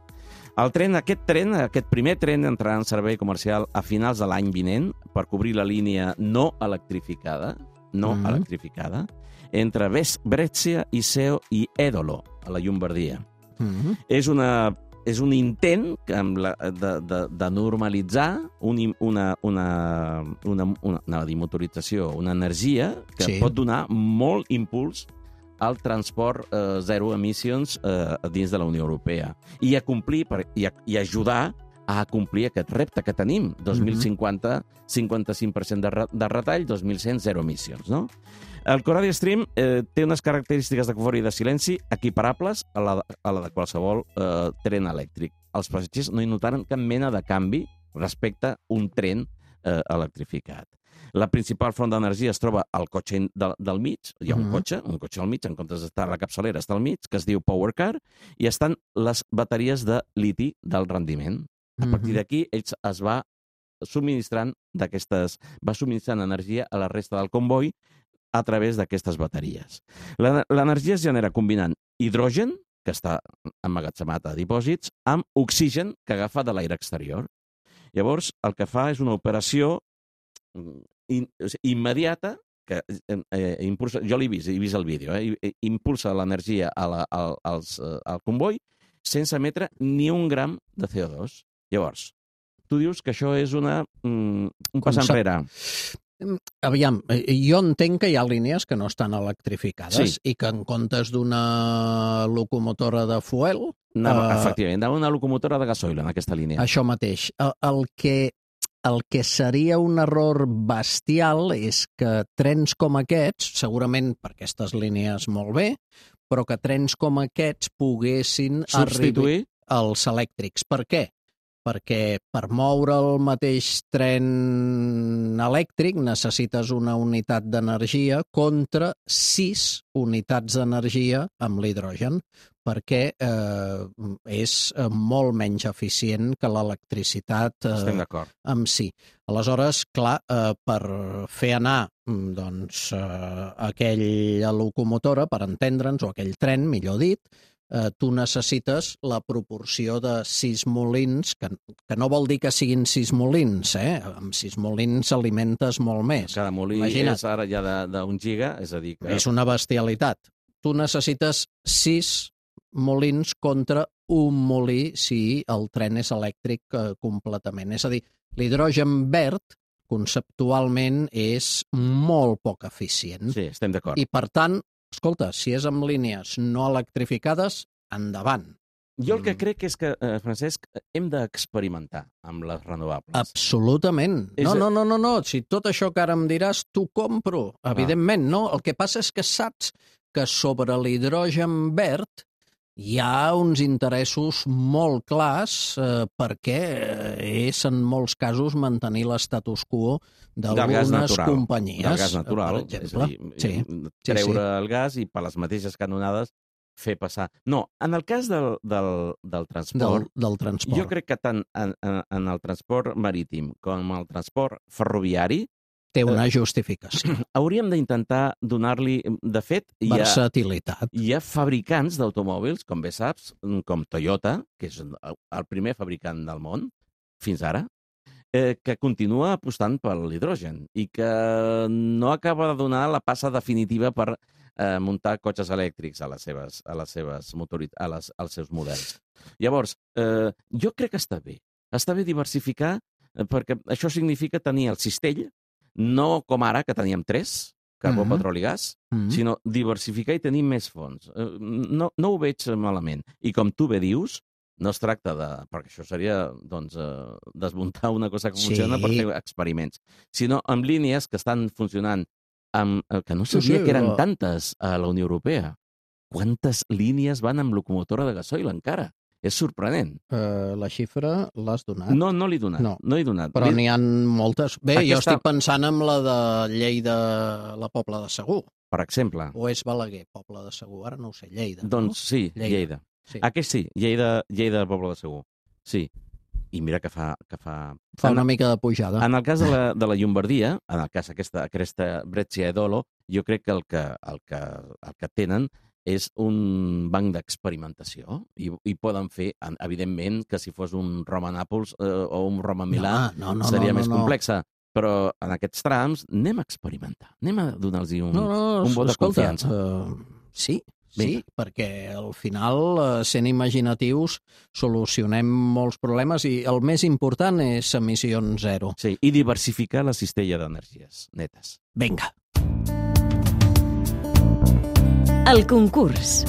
El tren, aquest tren, aquest primer tren entrarà en servei comercial a finals de l'any vinent per cobrir la línia no electrificada, no Mhm. electrificada, entre Ves- Brescia, Iseo i Edolo, a la Llombardia. mhm. És, una, és un intent que amb la, de, de, de normalitzar un, im- una, una, una, una, una motorització, una energia que Sí. pot donar molt impuls al transport eh, zero emissions eh, dins de la Unió Europea i a complir per, i, a, i ajudar a complir aquest repte que tenim, dos mil cinquanta, cinquanta-cinc per cent de, re- de retall, dos mil cent, zero emissions, no? El Coradia Stream eh, té unes característiques de confort i de silenci equiparables a la, a la de qualsevol eh, tren elèctric. Els passatgers no hi notaren cap mena de canvi respecte a un tren eh, electrificat. La principal font d'energia es troba al cotxe del, del mig, hi ha un Mhm. cotxe, un cotxe al mig, en comptes d'estar a la capçalera està al mig, que es diu Power Car, i estan les bateries de liti del rendiment. A partir Mhm. d'aquí, ells es va subministrant d'aquestes, va subministrant energia a la resta del comboi a través d'aquestes bateries. La- L'energia es genera combinant hidrogen, que està emmagatzemat a dipòsits, amb oxigen que agafa de l'aire exterior. Llavors, el que fa és una operació mm, in, o sigui, immediata que eh, eh, impulsa, jo l'he vist, he vist el vídeo, eh, i- impulsa l'energia a la, al, als, eh, al comboi sense emetre ni un gram de C O dos. Llavors, tu dius que això és una, mm, un pas Concep- enrere. Aviam, eh, jo entenc que hi ha línies que no estan electrificades Sí. i que en comptes d'una locomotora de fuel, Anava, Eh, efectivament, anava una locomotora de gasoil en aquesta línia. això mateix. El, el que el que seria un error bestial és que trens com aquests, segurament per aquestes línies molt bé, però que trens com aquests poguessin Substituir als elèctrics. Per què? Perquè per moure el mateix tren elèctric necessites una unitat d'energia contra sis unitats d'energia amb l'hidrogen, perquè eh, és eh, molt menys eficient que l'electricitat estem eh, d'acord. en si. Aleshores, clar, eh, per fer anar mm, doncs, eh, aquella locomotora, per entendre'ns, o aquell tren, millor dit, eh, tu necessites la proporció de sis molins, que, que no vol dir que siguin sis molins, eh? Amb sis molins alimentes molt més. Cada molí Imagina't. és ara ja de- d'un giga, és a dir que... És una bestialitat. Tu necessites sis molins contra un molí si el tren és elèctric eh, completament. És a dir, l'hidrogen verd conceptualment és molt poc eficient. Sí, estem d'acord. I, per tant, escolta, si és amb línies no electrificades, endavant. Jo el que Mm. crec és que, eh, Francesc, hem d'experimentar amb les renovables. Absolutament. És No, a- no, no, no, no. Si tot això que ara em diràs, t'ho compro. Evidentment, no. El que passa és que saps que sobre l'hidrogen verd hi ha uns interessos molt clars eh, perquè és, en molts casos, mantenir l'estatus quo Del gas d'algunes natural. companyies. Del gas natural, Per exemple. és a dir, Sí, treure sí. el gas i per les mateixes canonades fer passar... No, en el cas del, del, del transport, del, del transport. jo crec que tant en, en, en el transport marítim com en el transport ferroviari Té una justificació. hauríem d'intentar donar-li... De fet, hi ha, Versatilitat. hi ha fabricants d'automòbils, com bé saps, com Toyota, que és el primer fabricant del món, fins ara, eh, que continua apostant per l'hidrogen i que no acaba de donar la passa definitiva per eh, muntar cotxes elèctrics a les seves, a les seves motorit a les, als seus models. Llavors, eh, jo crec que està bé. Està bé diversificar, eh, perquè això significa tenir el cistell, no com ara, que teníem tres, carbó, Mhm. petroli i gas, Mhm. sinó diversificar i tenir més fonts. Eh, No, no ho veig malament. I com tu bé dius, no es tracta de... perquè això seria, doncs, eh, desmuntar una cosa que Sí. funciona per fer experiments, sinó amb línies que estan funcionant, amb, eh, que no Sí, sabia sí, que eren però- tantes a la Unió Europea. Quantes línies van amb locomotora de gasoil encara? És sorprenent. Uh, la xifra l'has donat? No, no l'he donat. No. No l'he donat. Però L'he- n'hi ha moltes. Bé, jo Aquesta- estic pensant en la de Lleida, la Pobla de Segur. Per exemple. O és Balaguer, Pobla de Segur? Ara no ho sé, Lleida. Doncs sí, Lleida. Lleida. Sí. Aquest sí, Lleida, Lleida, Pobla de Segur. Sí. I mira que fa... Que fa... Fa en- una mica de pujada. En el cas de la, de la Llombardia, en el cas aquesta, aquesta Brescia e Dolo, jo crec que el que, el que, el que tenen és un banc d'experimentació i, i poden fer, en- evidentment, que si fos un Roma-Nàpols eh, o un Roma-Milà no, no, seria no, més no, no. complexa. Però en aquests trams anem a experimentar, anem a donar-los un, No, no, un vot de escolta, confiança. Uh, sí, sí, Vinga. perquè al final, uh, sent imaginatius, solucionem molts problemes i el més important és emissions zero. Sí, i diversificar la cistella d'energies netes. Vinga. El concurs.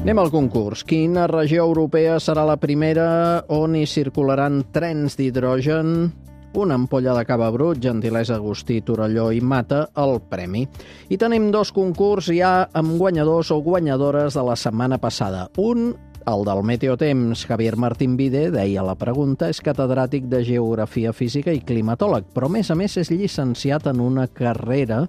Anem al concurs. Quina regió europea serà la primera on hi circularan trens d'hidrogen? Una ampolla de cava brut, gentilesa Agustí, Torelló i Mata, el premi. I tenim dos concurs ja amb guanyadors o guanyadores de la setmana passada. Un, el del Meteotemps, Javier Martín Vide, deia la pregunta, és catedràtic de Geografia Física i climatòleg, però a més a més és llicenciat en una carrera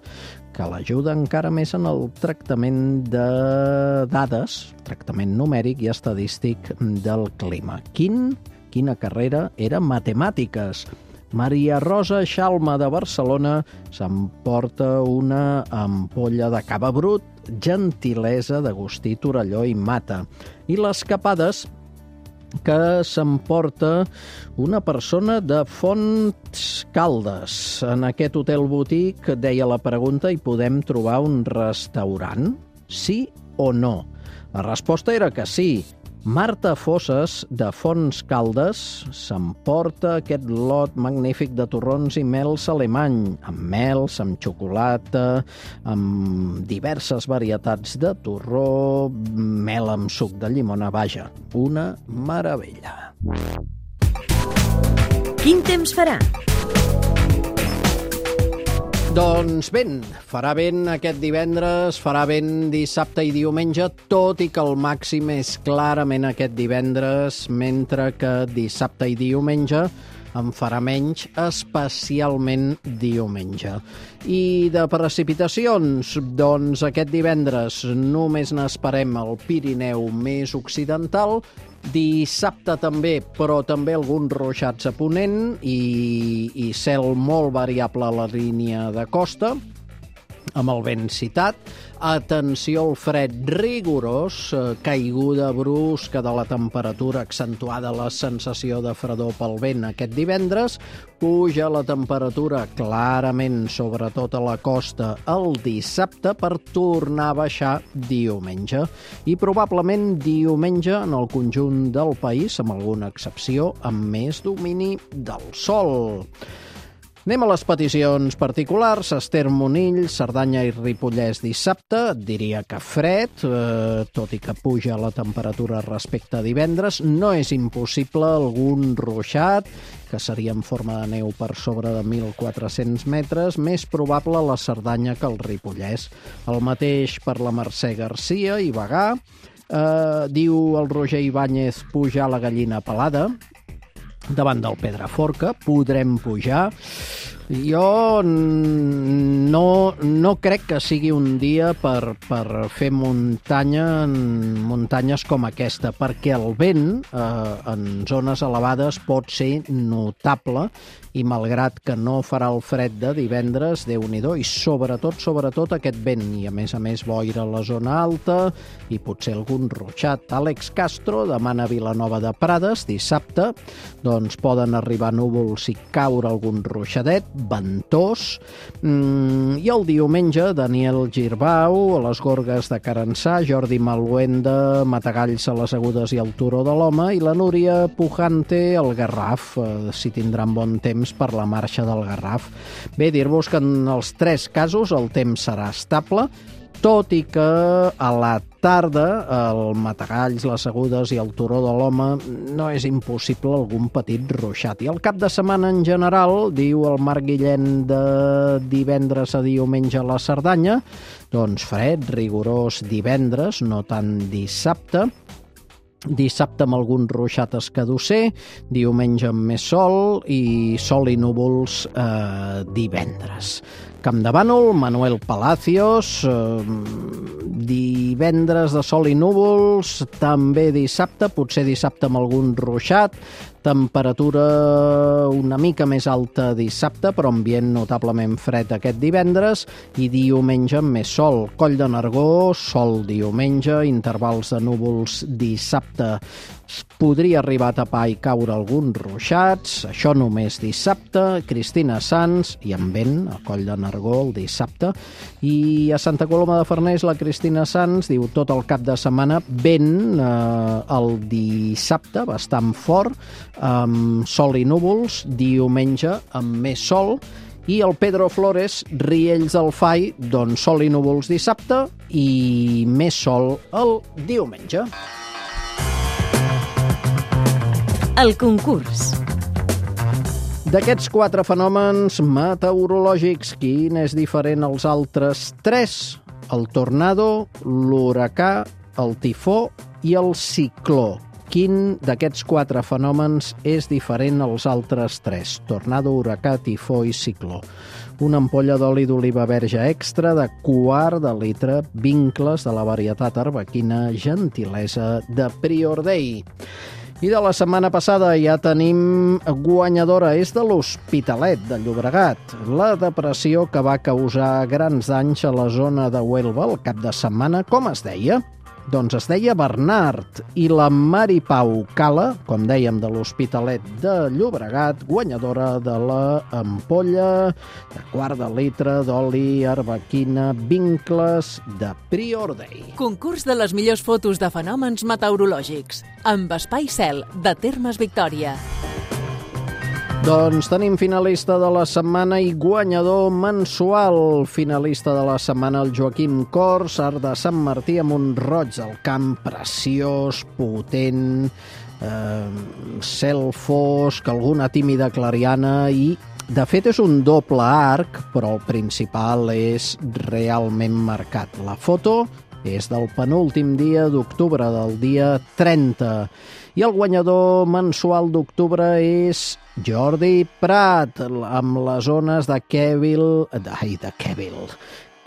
que l'ajuda encara més en el tractament de dades, tractament numèric i estadístic del clima. Quin, quina carrera era? Matemàtiques. Maria Rosa Xalma de Barcelona s'emporta una ampolla de cava brut, gentilesa d'Agustí, Torelló i Mata. I les capades que s'emporta una persona de Fonts Caldes. En aquest hotel botic, deia la pregunta, hi podem trobar un restaurant? Sí o no? La resposta era que sí. Marta Fosses, de Fonts Caldes, s'emporta aquest lot magnífic de torrons i mels alemany, amb mels, amb xocolata, amb diverses varietats de torró, mel amb suc de llimona, vaja, una meravella. Quin temps farà? Doncs vent, farà vent aquest divendres, farà vent dissabte i diumenge, tot i que el màxim és clarament aquest divendres, mentre que dissabte i diumenge en farà menys, especialment diumenge. I de precipitacions, doncs aquest divendres només n'esperem al Pirineu més occidental, dissabte també, però també alguns ruixats a ponent i, i cel molt variable a la línia de costa, amb el vent citat. Atenció al fred rigorós, eh, caiguda brusca de la temperatura, accentuada la sensació de fredor pel vent aquest divendres, puja la temperatura clarament, sobretot a la costa, el dissabte per tornar a baixar diumenge. I probablement diumenge en el conjunt del país, amb alguna excepció, amb més domini del sol. Anem a les peticions particulars. Esther Monill, Cerdanya i Ripollès dissabte. Et diria que fred, eh, tot i que puja la temperatura respecte a divendres. No és impossible algun ruixat, que seria en forma de neu per sobre de mil quatre-cents metres, més probable a la Cerdanya que al Ripollès. El mateix per la Mercè Garcia i Bagà. Eh, diu el Roger Ibáñez, pujar la gallina pelada. Davant del Pedraforca, podrem pujar. Jo no, no crec que sigui un dia per, per fer muntanya en muntanyes com aquesta, perquè el vent eh, en zones elevades pot ser notable i malgrat que no farà el fred de divendres, Déu-n'hi-do, i sobretot, sobretot aquest vent, i a més a més boira a la zona alta i potser algun ruixat. Àlex Castro demana Vilanova de Prades dissabte, doncs poden arribar núvols i caure algun ruixadet. ventós. Mm, I el diumenge, Daniel Girbau, a les Gorgues de Carençà, Jordi Maluenda, Matagalls a les Agudes i el Turó de l'Home, i la Núria Pujante al Garraf, eh, si tindran bon temps per la marxa del Garraf. Bé, dir-vos que en els tres casos el temps serà estable, tot i que a la tarda el Matagalls, les Agudes i el Turó de l'Home no és impossible algun petit ruixat. I el cap de setmana en general, diu el Marc Guillén, de divendres a diumenge a la Cerdanya, doncs fred, rigorós divendres, no tant dissabte. Dissabte amb algun ruixat escadusser, diumenge amb més sol i sol i núvols eh, divendres. Campdevànol, Manuel Palacios, eh, divendres de sol i núvols, també dissabte, potser dissabte amb algun ruixat, temperatura una mica més alta dissabte, però ambient notablement fred aquest divendres, i diumenge amb més sol. Coll de Nargó, sol diumenge, intervals de núvols dissabte. Podria arribar a tapar i caure alguns ruixats, això només dissabte. Cristina Sanz, i amb vent, a Coll de Nargó el dissabte. I a Santa Coloma de Farners, la Cristina Sanz diu tot el cap de setmana vent eh, el dissabte, bastant fort, amb sol i núvols, diumenge amb més sol. I el Pedro Flores, Riells del Fai, doncs sol i núvols dissabte i més sol el diumenge. El concurs. D'aquests quatre fenòmens meteorològics, quin és diferent als altres tres? El tornado, l'huracà, el tifó i el cicló. Quin d'aquests quatre fenòmens és diferent als altres tres? Tornado, huracà, tifó i cicló. Una ampolla d'oli d'oliva verge extra de quart de litre, vincles de la varietat arbequina, gentilesa de Prior Dei. I de la setmana passada ja tenim guanyadora, és de l'Hospitalet de Llobregat. La depressió que va causar grans danys a la zona de Huelva el cap de setmana, com es deia? Doncs es deia Bernard, i la Mari Pau Cala, com dèiem, de l'Hospitalet de Llobregat, guanyadora de la ampolla de quart de litre d'oli arbequina vincles de Prior Dei. Concurs de les millors fotos de fenòmens meteorològics, amb Espai Cel, de Termes Victòria. Doncs tenim finalista de la setmana i guanyador mensual. Finalista de la setmana, el Joaquim Cors, art de Sant Martí, amb un roig al camp preciós, potent, eh, cel fosc, alguna tímida clariana i, de fet, és un doble arc, però el principal és realment marcat. La foto és del penúltim dia d'octubre, del dia trenta. I el guanyador mensual d'octubre és Jordi Prat, amb les zones de Kevil, ai, de Kevil,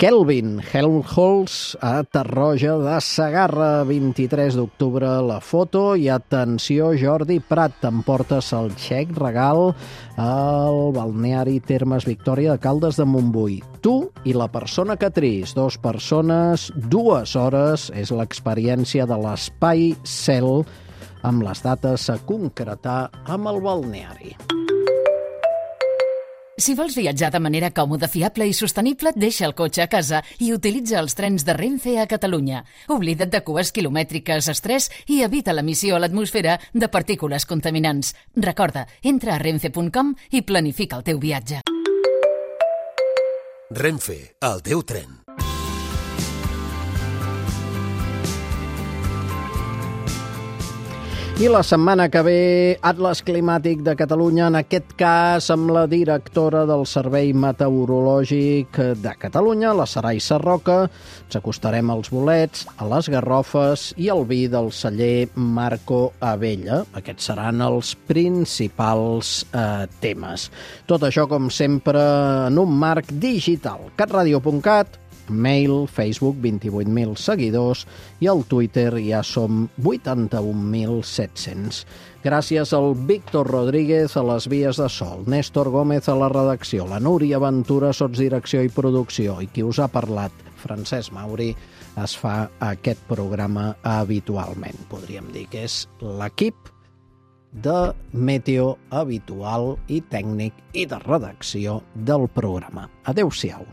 Kelvin Helmholtz a Tarroja de Segarra, vint-i-tres d'octubre la foto. I atenció, Jordi Prat, t'emportes el xec regal al balneari Termes Victòria de Caldes de Montbui. Tu i la persona que triïs, dos persones, dues hores, és l'experiència de l'Espai Cel, amb les dates a concretar amb el balneari. Si vols viatjar de manera còmoda, fiable i sostenible, deixa el cotxe a casa i utilitza els trens de Renfe a Catalunya. Oblida't de cues quilomètriques, estrès i evita l'emissió a l'atmosfera de partícules contaminants. Recorda, entra a renfe punt com i planifica el teu viatge. Renfe, el teu tren. I la setmana que ve, Atles Climàtic de Catalunya, en aquest cas amb la directora del Servei Meteorològic de Catalunya, la Sarai Sarroca. Ens acostarem als bolets, a les garrofes i al vi del celler Marco Abella. Aquests seran els principals eh, temes. Tot això, com sempre, en un marc digital. catradio punt cat, mail, Facebook, vint-i-vuit mil seguidors, i al Twitter ja som vuitanta-un mil set-cents. Gràcies al Víctor Rodríguez a les vies de sol, Néstor Gómez a la redacció, la Núria Ventura, sotsdirecció i producció, i qui us ha parlat, Francesc Mauri, es fa aquest programa habitualment. Podríem dir que és l'equip de meteo habitual i tècnic i de redacció del programa. Adéu-siau.